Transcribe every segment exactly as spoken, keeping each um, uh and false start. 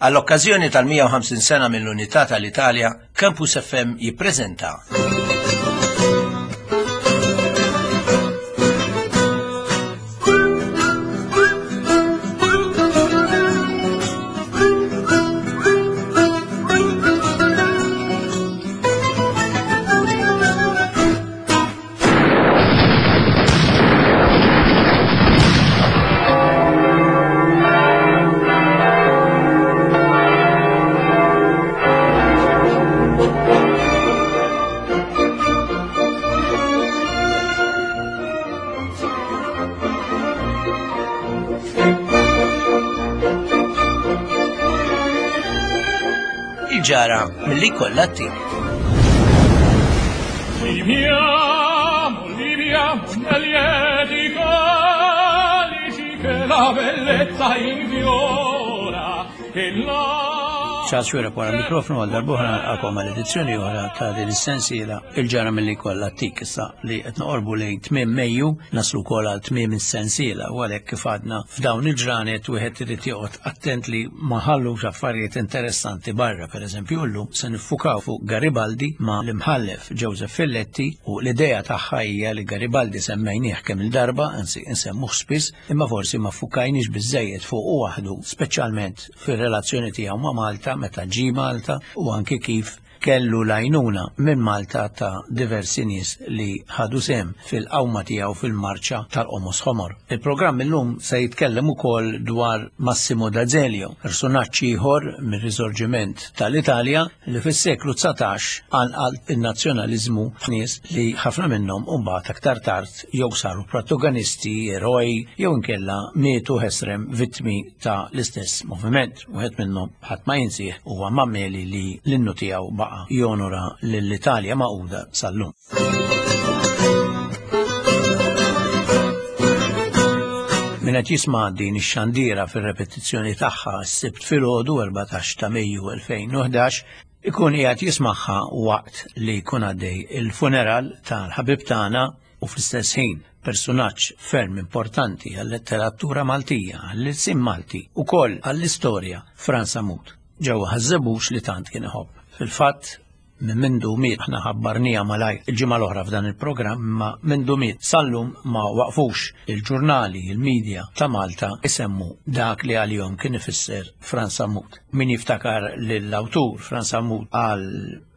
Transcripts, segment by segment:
Għall-okkażjoni tal-mija u ħamsin sena mill-Unità tal-Italja, Campus F M jippreżenta Il-ġara milli kollha t-tim. Viviamo, viviamo nel lieti calici che la bellezza infiora e la Charles Xuereb wara l-mikrofonu għal darbohra għakom għal edizzjoni oħra ta' din is-sensiela il-ġara milli kollha t-tik. Issa li qed noqorbu lejn tmiem Mejju naslu wkoll għal tmiem is-sensiela u għalhekk kif għadna f'dawn il-ġranet wieħed irid joqgħod attent li ma ħallux affarijiet interessanti barra. Pereżempju llum se niffukaw fuq Garibaldi ma' l-imħallef Joseph Filletti u l-idea tagħha hija li Garibaldi semmejnieh kemm il-darba, anzi nsemmuh spiss, imma forsi ma ffukajniex biżżejjed fuq u waħdu, speċjalment fir-relazzjoni tiegħu ma' Malta meta ġie Malta u anki kif kellu l-għajnuna minn Malta ta' diversi nies li ħadu sehem fil-qawma tiegħu fil-marċa tal-Qomos Ħomor. Il-programm illum se jitkellem ukoll dwar Massimo D'Azeglio, personaġġ ieħor mir-Risorġiment tal-Italja li fis-seklu dsatax għanqal in-nazzjonaliżmu f'nies li ħafna minnhom imbagħad aktar tard jew saru protagonisti, eroj, jew inkella mietu ħesrem vittmi ta' l-istess moviment. Wieħed minnhom ħadd ma jinsih huwa Mameli li l-innu tiegħu baqa' jonora lill-Italja magħquda sal-lum. Min qed jisma' din ix-xandira fir-repetizzjoni tagħha s-Sibt filgħodu erbatax ta' Mejju elfejn u ħdax ikun qiegħed jismagħha waqt li jkun għaddej il-funeral tal-ħabib tagħna u fl-istess ħin personaġġ ferm importanti għal-letteratura Maltija, għall-ilsien Malti u koll għall-istorja Frans Sammut, ġewwa Ħaż-Żebbuġ li tant kien iħobb. Fil-fatt, minn mindu miet, aħna ħabbarnija malajr il-ġimgħa l-oħra f'dan il-programm, imma mindu miet sal-lum ma waqfux il-ġurnali, il-medja ta' Malta isemmu dak li għalihom kien ifisser Frans Sammut. Min jiftakar lill-awtur Frans Sammut għal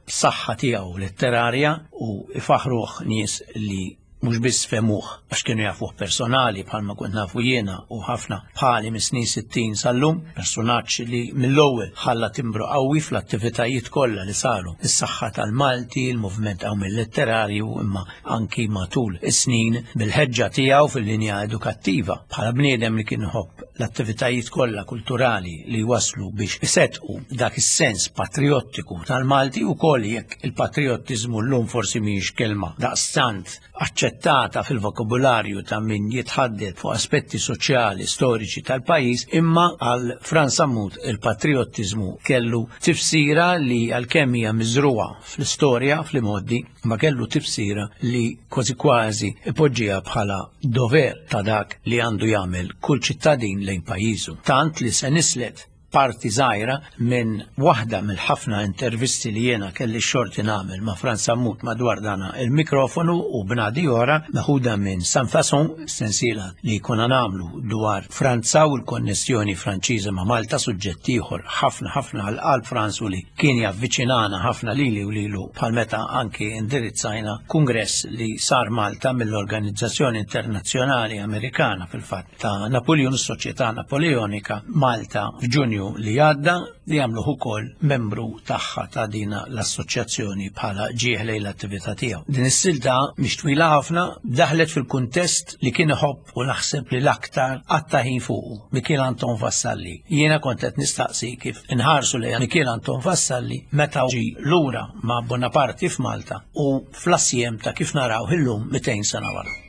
saħħa tiegħu letterarja u ifaħruh nies li mhux biss femuh għax kienu jafuh personali bħalma kont nafu jiena u ħafna bħali mis-snin sittin sal-lum, personaġġ li mill-ewwel ħalla timbru qawwi fl-attivitajiet kollha li saru. Is-saħħa tal-Malti, il-moviment qawwi letterarju, imma anki matul is-snin bil-ħeġġa tiegħu fil-linja edukattiva bħala bniedem li kien iħobb l-attivitajiet kollha kulturali li waslu biex isettqu dak is-sens patriottiku tal-Malti u koll jekk il-patriottiżmu llum forsi mhijiex kelma daqstant aċċettata fil-vokabularju ta' min jitħaddet fuq aspetti soċjali, storiċi tal-pajjiż, imma għal Frans Sammut il-patriottiżmu kellu tifsira li għalkemm hija miżruha fl-istorja, fl-imgħoddi, ma kellu tifsira li kważi kważi ipoġġiha bħala dover ta' dak li għandu jagħmel kull ċittadin lejn pajjiżu. Tant li se nislet parti żgħira minn waħda mill-ħafna intervisti li jiena kelli x-xorti nagħmel ma' Frans Sammut madwar dana il-mikrofonu u bnadi oħra meħuda minn San Fason, sensiela li kuna nagħmlu dwar Franza u l-konnessjoni Franċiża ma' Malta, suġġett ieħor ħafna ħafna għal qalb Frans u li kien javviċinana ħafna lili u lilu bħal meta anki indirizzajna kongress li sar Malta mill-Organizzazzjoni Internazzjonali Amerikana fil-fatt ta' Napoleon, s-Soċjetà Napoleonika Malta f'Ġunju li għadda, li għamluh ukoll membru tagħha ta' dina l-assoċjazzjoni bħala ġieħ lejn l-attività tiegħu. Din is-silta mhix twila ħafna, daħlet fil-kuntest li kien iħobb u naħseb li l-aktar qatta' ħin fuqu, Mikiel Anton Vassalli. Jiena kont qed nistaqsi kif inħarsu lejn Mikiel Anton Vassalli meta ġie lura ma' Bonaparte f'Malta u fl-assjem ta' kif naraw illum mitejn sena wara.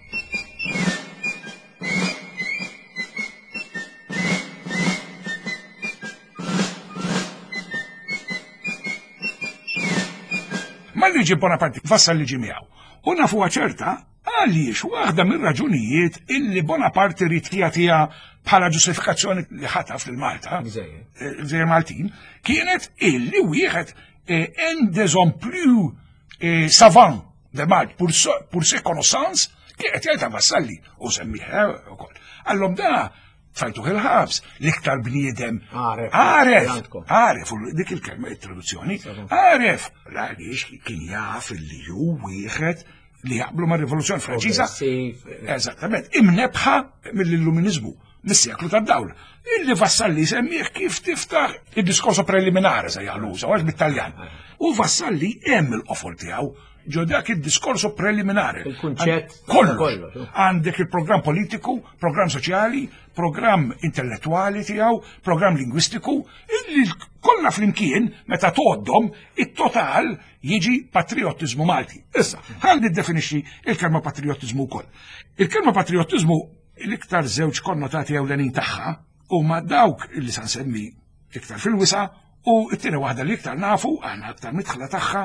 Malli ġie Bonaparte, Vassalli ġie miegħu. U nafuha ċerta Għaliex waħda mir-raġunijiet illi Bonaparte ried jagħtiha bħala ġustifikazzjoni li ħataf lil Malta, il-Gżejjer Maltin, kienet illi wieħed un des hommes plus savants de Malte pour, pour ses connaissances kienet jgħidha Vassalli u semmih ukoll. Allom da tfajtuh il-ħabs, l-iktar bniedem għaref, għaref, u dik il-kelma il-traduzzjoni, għaref, għaliex kien jaf li hu wieħed li jaqblu ma' rivoluzzjoni Franċiża. Eżattament, imnebħa mill-illuminizmu, mis-seklu tad-dawl. Illi Vassalli semmih kif tiftaħ il-discorso preliminare se jagħlu, għax bit-Taljan. U Vassalli hemm il-qofol tiegħu ġo dak il-discorso preliminare. Il-kunċett. Kollox. Għandek il-programm politiku, programm soċjali, programm intellettuali tiegħu, programm lingwistiku, illi kollha flimkien meta tgħoddhom it-total jiġi patriottiżmu Malti. Issa, ħa niddefinixxi il-kelma patriottiżmu wkoll. Il-kelma patriottiżmu l-iktar żewġ konnotati ewlenin tagħha huma dawk illi sa nsemmi iktar fil-wisa u t-tieni waħda li iktar nafu aħna aktar midħla tagħha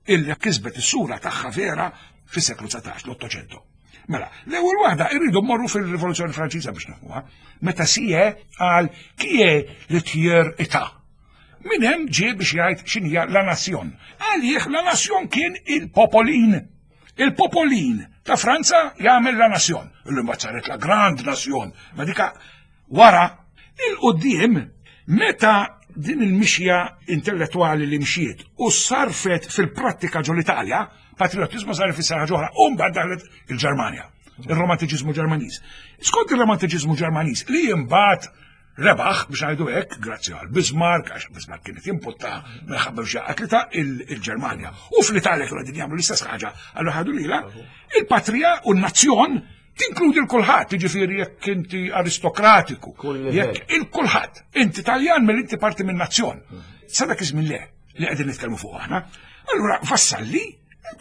illi kisbet is-sura tagħha vera fis-seklu dsatax, l-Ottocento. Mela, l-ewwel waħda irridu mmorru fil-Rivoluzzjoni Franċiża biex nifhmuha, meta Sieyès qal qui est le tiers état. Min hemm ġie biex jgħid x'inhija la nation. Għalih la nation kien il-popolin. Il-popolin ta' Franza jagħmel la nation. Illum mbagħad saret la grande nation. Ma dika wara il-qudiem meta din il-mixja intellettuali li mxiet u sarfet fil-prattika ġo l-Italja, patriotizmu sar ifisser ħaġa oħra, u mbagħad daħlet il-Ġermanja, il-romantiċiżmu Ġermaniż. Skont il-romantiċiżmu Ġermaniż li imbagħad rebaħ biex ngħidu hekk, grazzi għal Bismarck, għax Bismarck kienet jimpotta minħabba biex jaqgħet il-Ġermanja. U fl-Italja kienu qegħdin jagħmlu l-istess ħaġa, allura ħadu lilha, il-patrija u n-nazzjon tinkludi l-kulħadd, jiġifieri jekk inti aristokratiku, jekk il-kulħadd, inti Taljan mill inti parti minn nazzjon. Sa dak iż-żmien le, li qegħdin nitkellmu fuq aħna. Allura Vassalli,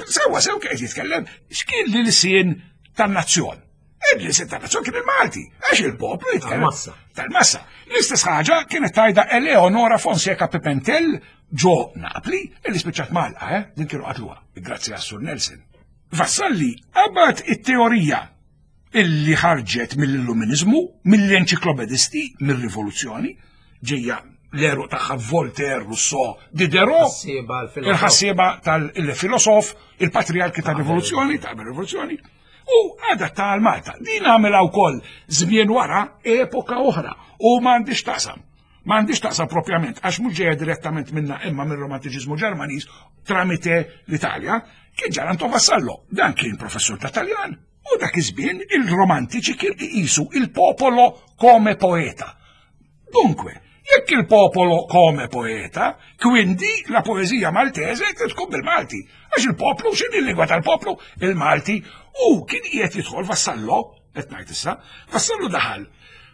sewwa sew qed jitkellem, x'kien li l-isien tan-nazzjon? Il-lisien tan-nazzjon kien il-Malti, għax il-poplu jitkellem. Tal-massa. Tal-massa. L-istess ħaġa kienet tajda Eleonora Fonseca Pimentel ġo Napli, illi spiċċat Malqa, eh? Din kienu qatluha, grazzi għas Sur Nelson. Vassalli qabad it-teorija illi ħarġet mill-illuminizmu, mill-enċiklopedisti, mill-rivoluzzjoni, ġejja l-eru tagħha Voltaire, Rousseau, Diderot, il-ħassieba tal-filosof, il-patriarki tal-rivoluzzjoni, tal-rivoluzzjoni, u adatta għal Malta. Din għamilha wkoll żmien wara epoka oħra u m'għandix taqsam. M'għandix taqsam propjament, għax mhux ġejja direttament minna imma mir-romantiċiżmu Ġermaniż tramite l-Italja, kien Gian Anton Vassallo. Dan kien professur ta' Taljan. U dak iż-żmien il-romantiċi kien iqisu il-popolo come poeta. Dunque, jekk il-popolo come poeta, quindi la poesia maltese tkun bil-Malti. Għax il-poplu, x'inhi l-lingwa tal-poplu? Il-Malti. U kien qiegħed jidħol Vassallo, qed ngħid issa, Vassallo daħal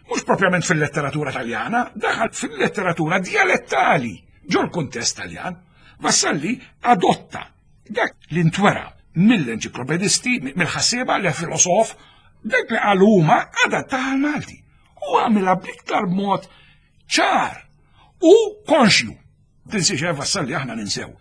mhux propjament fil-letteratura taljana, daħal fil-letteratura dialettali ġol kuntest Taljan. Vassalli adotta dak li ntwera mill-enċiklopedisti, mill-ħassieba, li filosof, dak li qalu huma adatta għal-Malti. U għamilha bl-iktar mod ċar u konxju. Tinsiex eh, Vassalli aħna ninsew.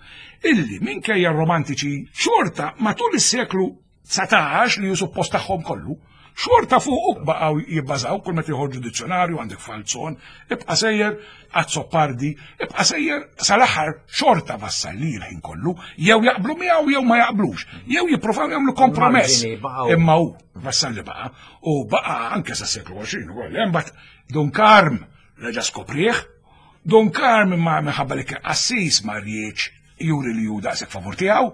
Illi minkejja romantiċi xorta matul is-seklu dsatax li ju suppost tagħhom kollu, xorta fuq baqgħu jibbażaw kull meta joħorġu dizzjonarju, għandek Falzon, ibqa' sejjer Azzopardi, ibqa' sejjer sal-aħħar xorta Vassalli l-ħin kollu, jew jaqblu miegħu jew ma jaqblux, jew jippruvaw jagħmlu kompromess. Imma hu Vassalli baqa' u baqa' anke sa seklu għoxrin ukoll. Imbagħad Dun Karm reġa' skoprih, Dun Karm imma minħabba li kien qassis ma rridx juri li hu daqshekk favur tiegħu,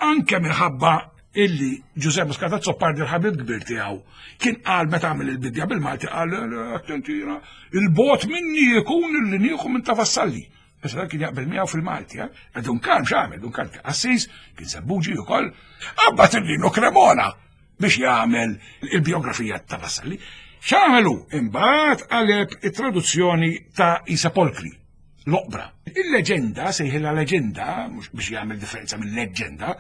anke minħabba illi Giuseppe Muscat Azzopardi l-ħabib kbir tiegħu kien qal meta għamel il-bidja bil-Malti qal attentina il-bot minni jkun illi nieħu minn ta' Vassalli. Issa dak kien jaqbel miegħu fil-Malti, eh? Dun Karm x'għamel? Dun Karm kien qassis, kien Sebbuġi wkoll, qabad il-Lino Cremona biex jagħmel il-biografija ta' Vassalli. X'għamelu? Imbagħad qaleb it-traduzzjoni ta' I Sepolcri, l-oqbra. Il-leġenda, sejħilha leġenda, mhux biex jagħmel differenza mill-leġenda,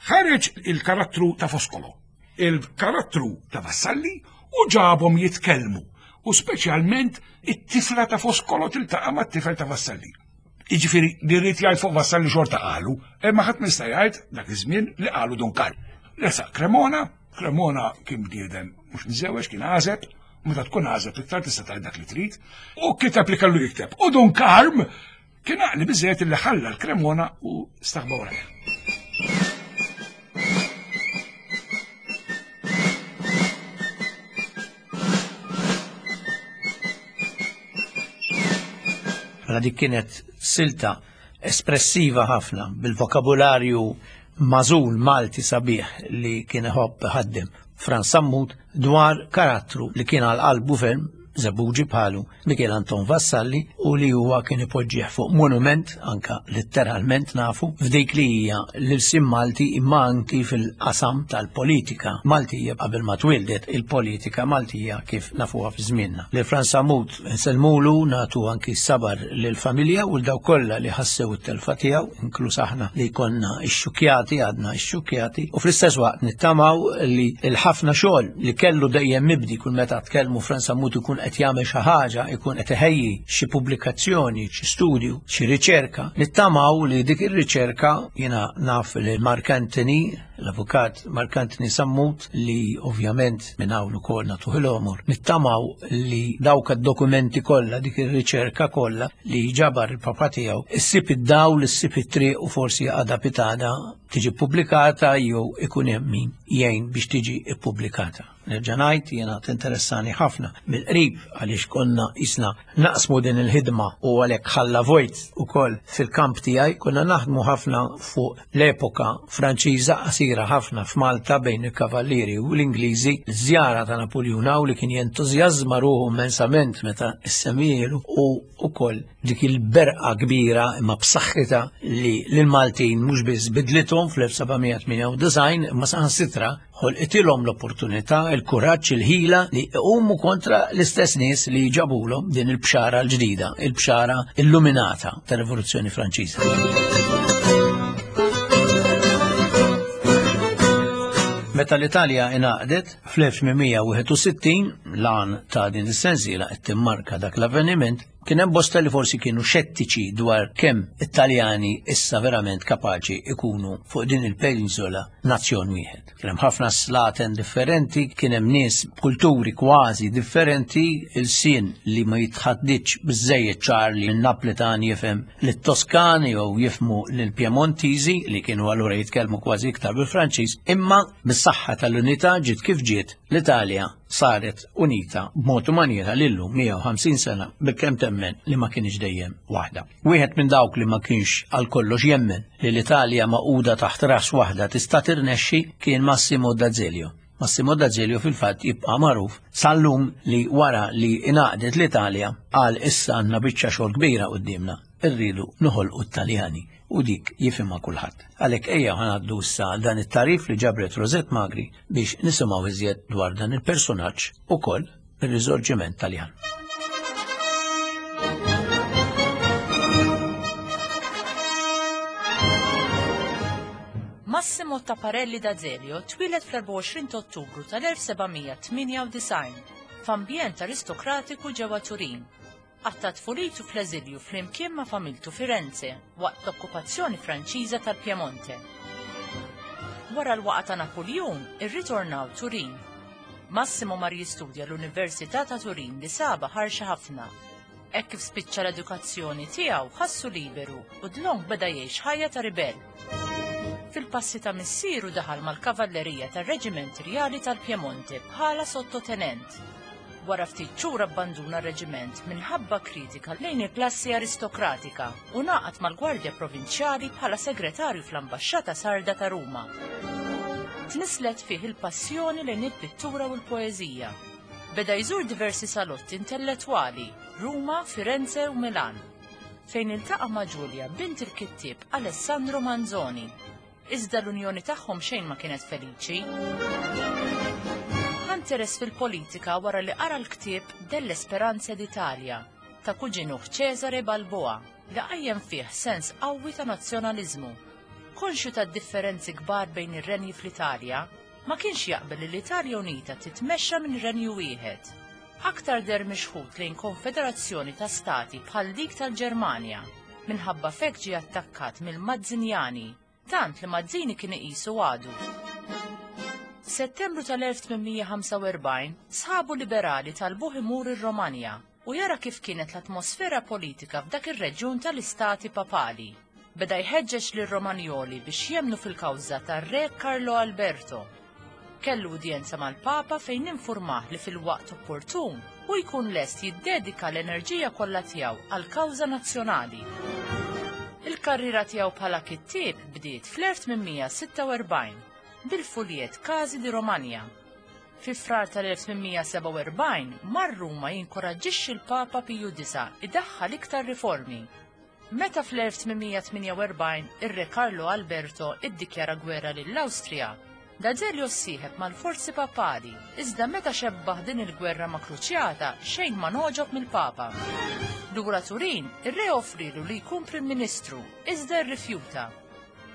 ħareġ il-karattru ta' Foscolo, il-karattru ta' Vassalli u ġabhom jitkellmu, u speċjalment it-tifla ta' Foscolo tiltaqa' mat-tifel ta' Vassalli. Jiġifieri li rrid jgħid fuq Vassalli xorta qalu, imma ħadd ma jista' jgħid dak iż-żmien li qalu Dun Karm. Resaq Cremona, Cremona kien bniedem mhux miżewweġ, kien għażeb, meta tkun għażeb iktar tista' tgħid dak li trid, u kiteb li kellu jikteb. U Dun Karm kien għaqli biżejjed li ħalla l-Cremona u staħba warajh. Mela dik kienet silta espressiva ħafna bil-vokabularju mażul Malti sabiħ li kien iħobb ħaddem Frans Sammut dwar karattru li kien għal qalbu ferm Żebbuġi bħalu Mikiel Anton Vassalli u li huwa kien ipoġġih fuq monument anka letteralment nafu f'dik li hija l-ilsien Malti imma anki fil-qasam tal-politika Maltija qabel ma twildet il-politika Maltija kif nafuha fi żmienna. Lil Frans Sammut nsellmulu, nagħtu anki s-sabar lill-familja u l-dawk kollha li ħassew it-telfa tiegħu, inkluż aħna li konna ixxukjati, għadna ixxukjati, u fl-istess waqt nittamaw li l-ħafna xogħol li kellu dejjem mibdi kull meta tkellmu Frans Sammut ikun qed jagħmel xi ħaġa, ikun qed iħejji xi pubblikazzjoni, xi studju, xi riċerka. Nittamaw li dik ir-riċerka, jiena naf li Mark Anthony, l-avukat Mark Anthony Sammut, li ovvjament minn hawn ukoll nagħtuh l-għomor, nittamaw li dawk id-dokumenti kollha, dik ir-riċerka kollha li ġabar il-papa tiegħu, issib id-dawl, issib it-triq u forsi għada pitada tiġi pubblikata jew ikun hemm min jgħin biex tiġi ppubblikata. Nerġa' ngħid, jiena tinteressani ħafna mill-qrib għaliex konna isna naqsmu din il-ħidma u għalhekk ħalla vojt ukoll fil-kamp tiegħi, konna naħdmu ħafna fuq l-epoka Franċiża qasira ħafna f'Malta bejn il-Kavallieri u l-Ingliżi, żjara ta' Napuljun hawn li kien jentużjażma ruħu immensament meta issemmielu u ukoll dik il-berqa kbira imma b'saħħitha li lill-Maltin mhux biss bidlithom fl-elf seba' mija tmienja u disgħin imma saħansitra ħolqitilhom l-opportunità, il-kuraġġ, il-ħila li jqumu kontra l-istess nies li ġabulhom din il-bxara l-ġdida, il-bxara illuminata tar-Rivoluzzjoni Franċiża. Meta l-Italja ingħaqdet fl-elf tmien mija wieħed u sittin, l-għan ta' din is-sensiela qed timmarka dak l-avveniment, kien hemm bosta li forsi kienu xettiċi dwar kemm it-Taljani issa verament kapaċi ikunu fuq din il-penisola nazzjon wieħed. Kien hemm ħafna slaten differenti, kien hemm nies b'kulturi kważi differenti, il-sien li ma jitħadditx biżżejjed ċar li n-Naplitan jifhem lit-Toskani jew jifhmu lill-Piemontiżi li kienu allura jitkellmu kważi iktar bil-Franċiż, imma bis-saħħa tal-unità ġiet kif ġiet l-Italja saret unita b'mod u maniera li llum mija u ħamsin sena bilkemm temmen li ma kienx dejjem waħda. Wieħed minn dawk li ma kienx għal kollox jemmen li l-Italja maquda taħt ras waħda tista' tirnexxi kien Massimo D'Azeglio. Massimo D'Azeglio fil-fatt jibqa' magħruf sal-lum li wara li ingħaqdet l-Italja qal issa għandna biċċa xogħol kbira quddiemna, irridu noħolqu t-Taljani u dik jifhimha kulħadd. Għalhekk ejja ħanaddu issa dan it-tarif li ġabret Rosette Magri biex nisimgħu iżjed dwar dan il-personaġġ ukoll ir-Risorġiment Taljan. Massimo Tapparelli D'Azeglio twieled fl-erbgħa u għoxrin ta' Ottubru tal-elf seba' mija tmienja u disgħin f'ambjent aristokratiku ġewwa Turin. Qatta' tfulitu fl-eżilju flimkien ma' familtu Firenze waqt l-okkupazzjoni Franċiża tal-Piemonte. Wara l-waqa ta' Napuljun, irritornaw Turin. Massimo mar jistudja l-Università ta' Turin li saba ħarxa ħafna. Hekk kif spiċċa l-edukazzjoni tiegħu ħassu liberu u dlonk beda jgħix ħajja ta' ribell. Fil-passi ta' missieru daħal mal-kavallerija tar-Reġiment Rjali tal-Piemonte bħala sottotenent. Wara ftit xhur abbanduna r-reġiment minħabba kritika lejn il-klassi aristokratika u naqat mal-Gwardja Provinċjali bħala segretarju fl-Ambaxxata Sarda ta' Ruma. Tnislet fih il-passjoni lejn il-pittura u l-poeżija. Beda jżur diversi salotti intellettwali, Ruma, Firenze u Milan, fejn iltaqa' ma' Giulia, bint il-kittieb Alessandro Manzoni. Iżda l-unjoni tagħhom xejn ma kienet feliċi. Interess fil-politika wara li qara l-ktieb Delle Speranze d'Italia ta' kuġinuh Cesare Balboa li qajjem fih sens qawwi ta' nazzjonaliżmu. Konxju ta' differenzi kbar bejn ir-renji fl-Italja, ma kienx jaqbel li l-Italja Unita titmexxa minn renju wieħed. Aktar der mixħut lejn konfederazzjoni ta' stati bħal dik tal-Ġermanja, minħabba fek ġie attakkat mill-Mazzinjani, tant li Mazzini kien iqisu għadu. F'Settembru tal-elf tmien mija ħamsa u erbgħin, sħabu liberali talbuh imur ir-Romanja u jara kif kienet l-atmosfera politika f'dak ir-reġjun tal-Istati Papali. Beda jħeġġeġ lir-Romanjoli biex jemnu fil-kawża tar-Re Carlo Alberto. Kellu udjenza mal-Papa fejn infurmah li fil-waqt opportun u jkun lest jiddedika l-enerġija kollha tiegħu għall-kawża nazzjonali. Il-karriera tiegħu bħala kittieb bdiet fl-elf tmien mija sitta u erbgħin bil-fuljet Casi di Romagna. Fi frar tal-elf tmien mija sebgħa u erbgħin mar Ruma jinkoraġġixxi l-Papa Piju disa' idaħħal iktar riformi. Meta fl-elf tmien mija tmienja u erbgħin ir-Re Carlo Alberto iddikjara gwerra lill-Awstrija, D'Azeglio ssieħeb mal-forzi papali, iżda meta xebbaħ din il-gwerra ma' kruċjata xejn ma noġob mill-Papa. Lura Turin, ir-re offrilu li jkun Prim Ministru, iżda rrifjuta.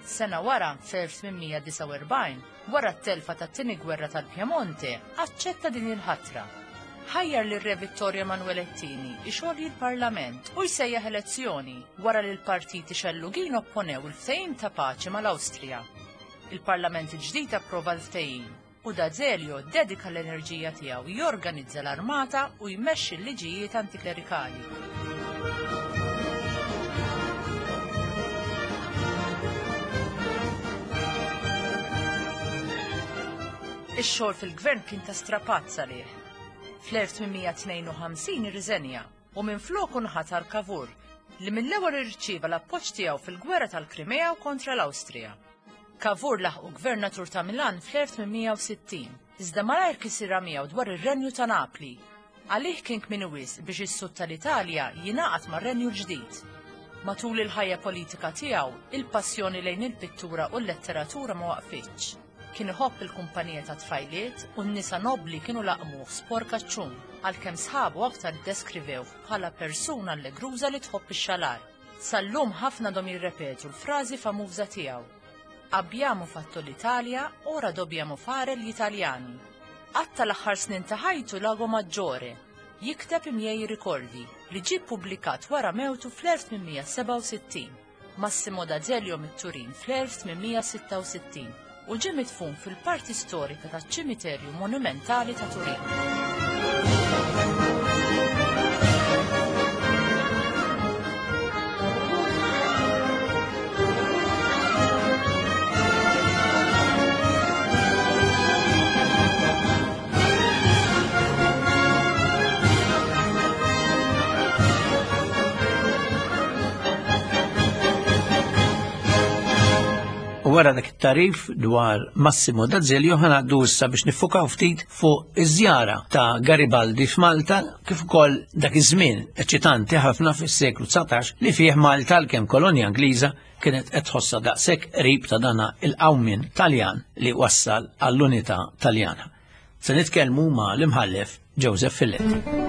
Sena wara, f'elf tmien mija disgħa u erbgħin, wara t-telfa tat-tieni gwerra tal-Piemonte, aċċetta din il-ħatra. Ħajjar lir-Re Vittorio Emanuele Tini ixolji l-Parlament u jsejjaħ elezzjoni wara li l-partiti xellugin opponew il-ftehim ta' paċi mal-Awstrija. Il-Parlament il-ġdid approva l-ftehim u D'Azeglio dedika l-enerġija tiegħu jorganizza l-armata u jmexxi l-liġijiet antiklerikali. Ix-xogħol fil-gvern kien ta' strapazz għalih. Fl-elf tmien mija tnejn u ħamsin irriżenja u minfloku nħatar Cavour li mill-ewwel irċieva l-appoġġ tiegħu fil-gwerra tal-Krimea u kontra l-Awstrija. Cavour laħqu gvernatur ta' Milan fl-elf tmien mija u sittin, iżda malajr kisirha miegħu dwar ir-Renju ta' Napli. Għalih kien kmieni wisq biex is-sud tal-Italja jingħaqad mar-Renju l-ġdid. Matul il-ħajja politika tiegħu, il-passjoni lejn il-pittura u l-letteratura ma waqfitx. Kien iħobb il-kumpanija ta' tfajliet u n-nisa nobli kienu laqmuh sporkaċċun, għalkemm sħabu aktar ddeskrivewh bħala persuna allegruża li tħobb ix-xalar. Sal-lum ħafna dom jirrepetu l-frażi famuża tiegħu. Abbiamo fatto l'Italia, ora dobbiamo fare gli italiani. Qatta l-aħħar snin ta' ħajtu Lago Maggiore, jikteb i miei ricordi, li ġie ppubblikat wara mewtu fl-elf tmien mija sebgħa u sittin. Massimo D'Azeglio mit-Turin fl-elf tmien mija sitta u sittin u ġie midfun fil-parti storika taċ-ċimiterju monumentali ta' Turin. U wara dak it-tarif dwar Massimo D'Azeglio ħanaqdu issa biex nifukaw ftit fuq iż-żjara ta' Garibaldi f'Malta kif ukoll dak iż-żmien eċitanti ħafna fis-seklu dsatax li fih Malta għalkemm kolonja Ingliża kienet qed tħossha daqshekk qrib ta' dana il-qawmien Taljan li wassal għall-unità Taljana. Se nitkellmu ma' l-imħallef Joseph Filletti.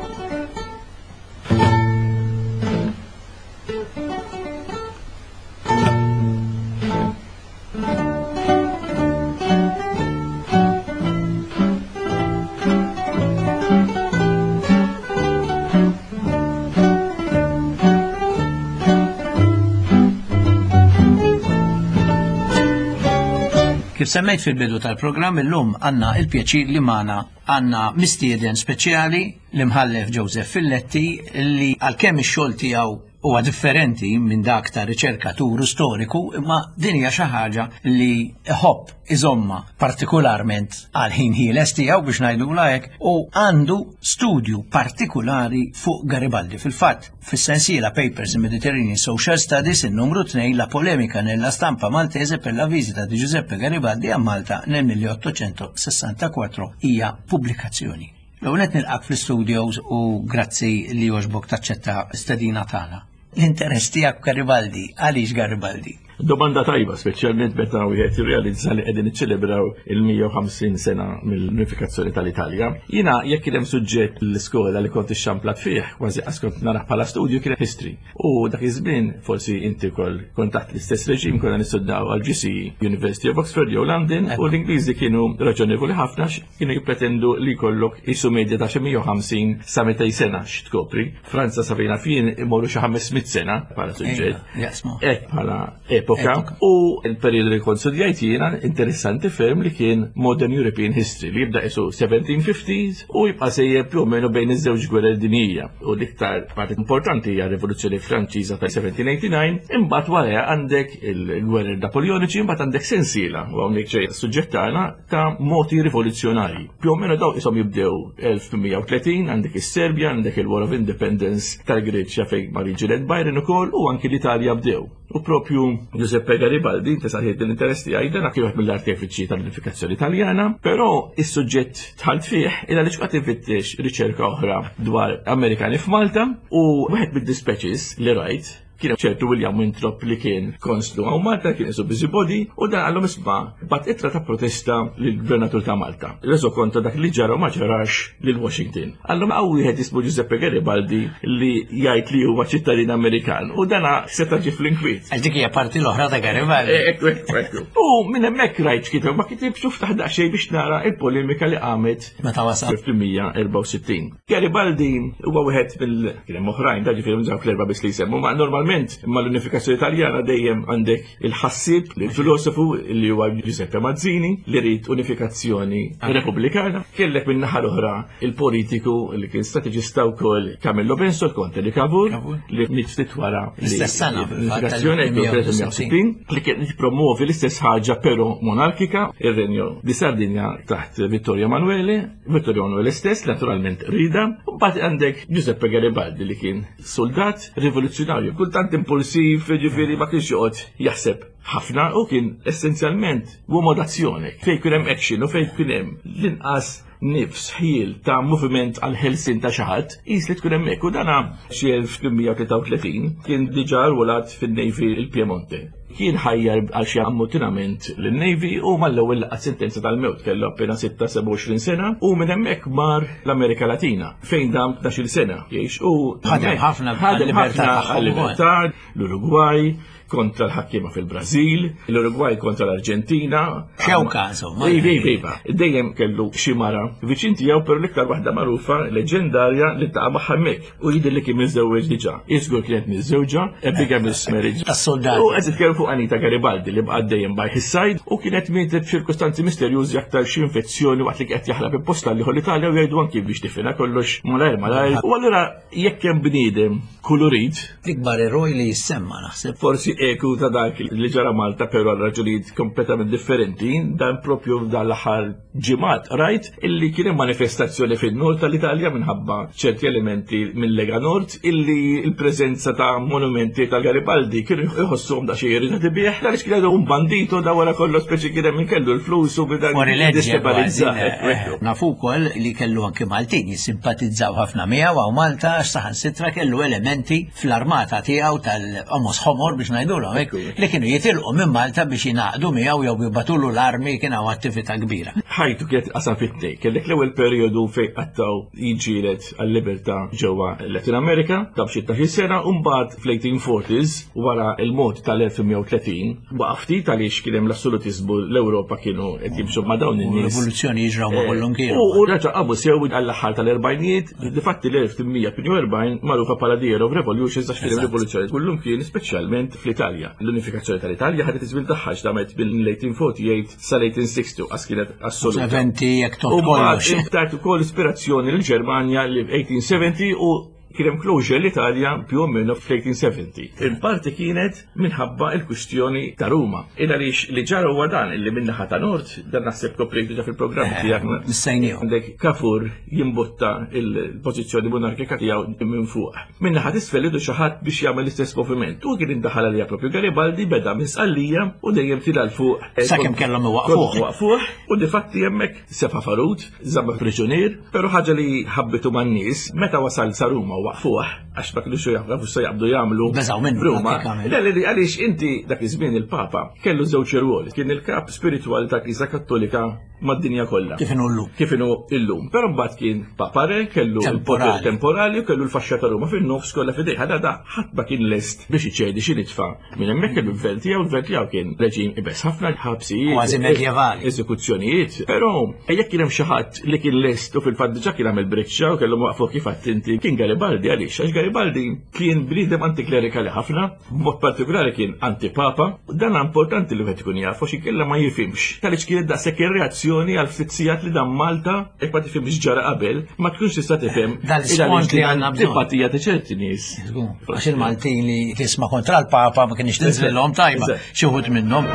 Kif semmejt fil-bidu tal-programm illum għandna il-pjaċir li magħna għandna mistieden speċjali l-imħallef Joseph Filletti li għalkemm ix-xogħol tiegħu huwa differenti minn dak ta' riċerkatur u storiku, imma din hija xi ħaġa li iħobb iżomma partikolarment għal ħin ħieles tiegħu biex ngħidulha hekk, u għandu studju partikolari fuq Garibaldi. Fil-fatt, fis-sensiela Papers in Mediterranean Social Studies in-numru tnejn la polemica nella stampa maltese per la visita di Giuseppe Garibaldi a Malta nel milleottocentosessantaquattro hija pubblikazzjoni. L-ewwel qed nilqak fl-studios u grazzi li għoġbok taċċetta stedina tagħna. L-interess tiegħek Garibaldi, għaliex Garibaldi? Domanda tajba, speċjalment meta wieħed jirrealizza li qegħdin niċċelebraw il-mija u ħamsin sena mill-unifikazzjoni tal-Italja. Jiena jekk kien hemm suġġett l-iskola li kont ixxamplat fih, kważi qas kont narah bħala studju, kien history. U dak iż-żmien forsi inti wkoll kont taħt l-istess reġim, konna nistudjaw għal G C E University of Oxford jew London, u l-Ingliżi kienu raġonevoli ħafna kienu jippretendu li jkollok isu medja ta' xi mija u ħamsin sa mitej sena x'tkopri. Franza sa fejna fien imorru xi ħames mitt sena bħala suġġett. Ejja, jaqsmu. Hekk bħala epoka. epoka. U il-periodu li kont studjajt jiena interessanti ferm li kien Modern European History li jibda isu seventeen fifties u jibqa' sejjer più o meno bejn iż-żewġ gwerer dinjija. U l-iktar parti importanti hija Rivoluzzjoni Franċiża ta' seventeen eighty-nine, imbagħad wara għandek il-gwerer Napoleoniċi, imbagħad għandek sensiela, u hawnhekk ġej suġġett tagħna, ta' moti rivoluzzjonarji. Più o meno daw isom jibdew elf tmien mija u tletin, għandek is-Serbja, għandek il-War of Independence tal-Greċja fejn mar jiġġieled Byron ukoll u anki l-Italja bdew. U propju Giuseppe Garibaldi, inti saħħiet l-interess tiegħi, dan kien wieħed mill-artefiċi tal-unifikazzjoni Italjana, però is-suġġett dħalt fih illa li xqgħad infittex riċerka oħra dwar Amerikani f'Malta, u wieħed mid-dispatches li rajt kien ċertu William Winthrop li kien konslu hawn Malta, kien isu busybody, u dan għallhom isma' bagħat ittra ta' protesta lill-gvernatur ta' Malta. Reso konta dak li ġara u ma ġarax lil Washington. Għallhom hawn wieħed jismu Giuseppe Garibaldi li jgħid li huwa ċittadin Amerikan u dana seta' ġie fl-inkwiet. Għax dik hija parti l-oħra ta' Garibaldi. Ekku, ekku, ekku. U minn hemmhekk rajt kiteb ma kitibx u ftaħ daqsxejn biex nara il-polemika li qamet Meta wasal. fl-elf tmien mija u erbgħa u sittin. Garibaldi huwa wieħed mill kien hemm oħrajn, da ġifieri dawk l-erba' biss li jsemmu, ma normalment mal-unifikazzjoni Italjana dejjem għandek il-ħassib, il-filosofu li huwa Giuseppe Mazzini li rid unifikazzjoni repubblikana. Kellek minn naħa l-oħra il-politiku li kien strateġista wkoll Camillo Benso, il-Konte di Cavour, Cavour. li miet ftit wara L-istess sena, fil-fatt, l-unifikazzjoni tal-elf tmien mija u sittin. li kien jippromovi l-istess ħaġa però monarkika, ir-Renju di Sardinja taħt Vittorio Emanuele, Vittorio Emanuele stess naturalment rida, u mbagħad għandek Giuseppe Garibaldi li kien soldat rivoluzzjonarju, kultant impulsiv, ġifieri ma kienx joqgħod jaħseb ħafna u kien essenzjalment uomo d'azione, fejn kien hemm action u fejn kien hemm l-inqas nifs ħjiel ta' moviment għal ħelsien ta' xi ħadd, qis li tkun hemmhekk, u dana xi elf tmien mija u tlieta u tletin kien diġà rwolat fin-Navy il-Piemonte. Kien ħajjar għal xi ammutinament lin-Navy u mal-ewwel laqat sentenza tal-mewt, kellu appena sitta sebgħa u għoxrin sena, u minn hemmhekk mar l-Amerika Latina fejn dam tnax-il sena jgħix u Ħadem ħafna ħadem għal-libertà ħafna tagħhom għal-libertà, l-Uruguay kontra l-ħakkiema fil-Brażil, l-Uruguay kontra l-Arġentina. Xewka, insomma. Iva, iva, iva. Dejjem kellu xi mara viċin tiegħu, però l-iktar waħda magħrufa, leġendarja, li taqa' magħha hemmhekk. U jidher li kien miżżewweġ diġà. Iżgur kienet miżżewġa, a bigamous marriage. Tas-soldati. U qed titkellem fuq Anita Garibaldi li baqgħet dejjem by his side u kienet mietet f'ċirkustanzi misterjużi, aktar xi infezzjoni waqt li qed jaħrab imposta li l-Italja, u jgħidu anki biex tifina kollox malajr malajr. U allura jekk hemm bniedem kulurit, L-ikbar eroj li jissemma, naħseb. Forsi eku ta' dak li ġara Malta, però għal raġunijiet kompletament differenti, dan propju dan l-aħħar ġimgħat rajt illi kien hemm manifestazzjoni fin-nord tal-Italja minħabba ċerti elementi mill-Lega Nord illi l-preżenza ta' monumenti tal-Garibaldi kienu jħossuhom da xi irritati bih, għaliex kien un bandito da wara kollox, speċi kien hemm min kellu l-flus u bida Fuori legge destabilizza. kważi, eh, Nafu wkoll li kellu anki Maltin jissimpatizzaw ħafna miegħu hawn Malta, għax saħansitra kellu elementi fl-armata tiegħu tal-Omos Ħomor, biex ngħidulhom hekk, li kienu jitilqu minn Malta biex jingħaqdu miegħu jew jibatulu l-armi, kien hawn attività kbira. Ħajtu kienet qasam fit-tnejn. Kellek l-ewwel perjodu fejn qattaw jiġġieled għal-libertà ġewwa Latin America, ta' b'xi tnax-il sena, u mbagħad fl-eighteen forties wara il-mod tal-elf tmien mija u tletin waqaf ftit għaliex kien hemm l-assolutizmu, l-Ewropa kienu qed jimxu ma' dawn in-nies. Rivoluzzjoni jiġraw ma' kollum kienu. U u raġa' qamu sew għall-aħħar tal-erbgħinijiet, difatti l-elf tmien mija u tmienja u erbgħin magħrufa bħala The Year of Revolutions għax kien hemm rivoluzzjoni kullum kien, speċjalment fl-Italja. L-unifikazzjoni tal-Italja ħadet iż-żmien tagħha, damet mill-eighteen forty-eight sal-eighteen sixty għas kienet assoluta. Eventi jekk U tot kollox. mbagħad tat ukoll ispirazzjoni lill-Ġermanja li eighteen seventy u kien hemm closure l-Italja più o meno fl-eighteen seventy. Il-parti kienet minħabba il-kwistjoni ta' Ruma. Il għaliex li ġara huwa dan illi min-naħa ta' Nord, dan naħseb koprejt diġà fil-programm tiegħek. Missejniehom. Għandek Cavour jimbotta il-pożizzjoni monarkika tiegħu minn fuq. Min-naħa t'isfel idu xi ħadd biex jagħmel l-istess moviment. U kien indaħal għalija propju Garibaldi, beda minn Sqallija u dejjem tila 'l fuq. Sakemm kellhom iwaqfuh. Waqfuh u difatti hemmhekk sefa farut, żamma priġunier, però ħaġa li ħabbitu man-nies meta wasal sa Ruma u waqfuh, għax ma kienux jafu se jaqbdu jagħmlu. Beżgħu minnu, Ruma. pratikament. Le, le, le, għaliex inti dak iż-żmien il-Papa kellu żewġ irwoli, kien il-kap spiritwali ta' Knisja Kattolika mad-dinja kollha. Kif inhu llum. Kif inhu illum. Però mbagħad kien Papa Re, kellu Temporali. il-poter temporali u kellu l-faxxa ta' Ruma fin-nofs kollha f'idejh. Ħada da ħadd ma kien lest biex iċedi xi nitfa. Minn hemmhekk kellu l-gvern tiegħu, l-gvern tiegħu kien reġim ibes ħafna, ħabsijiet, Kważi medjevali. eżekuzzjonijiet. Però jekk kien hemm xi ħadd li kien lest u fil-fatt diġà kien għamel briċċa u kellu waqfu kif għadt inti, kien Garibaldi. Garibaldi għaliex, għax Garibaldi kien bniedem antiklerikali ħafna, b'mod partikolari kien antipapa, u dan importanti li wieħed ikun jaf għax inkella ma jifhimx. Għaliex kienet daqshekk ir-reazzjoni għal ftit sigħat li dan Malta, jekk ma tifhimx ġara qabel, ma tkunx tista' tifhem Dal-isfond li għandna bżonn. Simpatija ta' ċerti nies. Għax il-Maltin li tisma' kontra l-Papa ma kienx tinżlilhom tajba, Eżatt. xi wħud minnhom.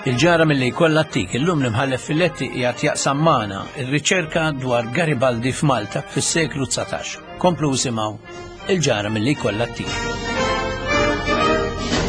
Il-ġara milli jkollha ttik illum l-imħallef Filletti qiegħed jaqsam magħna ir-riċerka dwar Garibaldi f'Malta fis-seklu dsatax. Komplu isimgħu il-ġara milli jkollha ttik.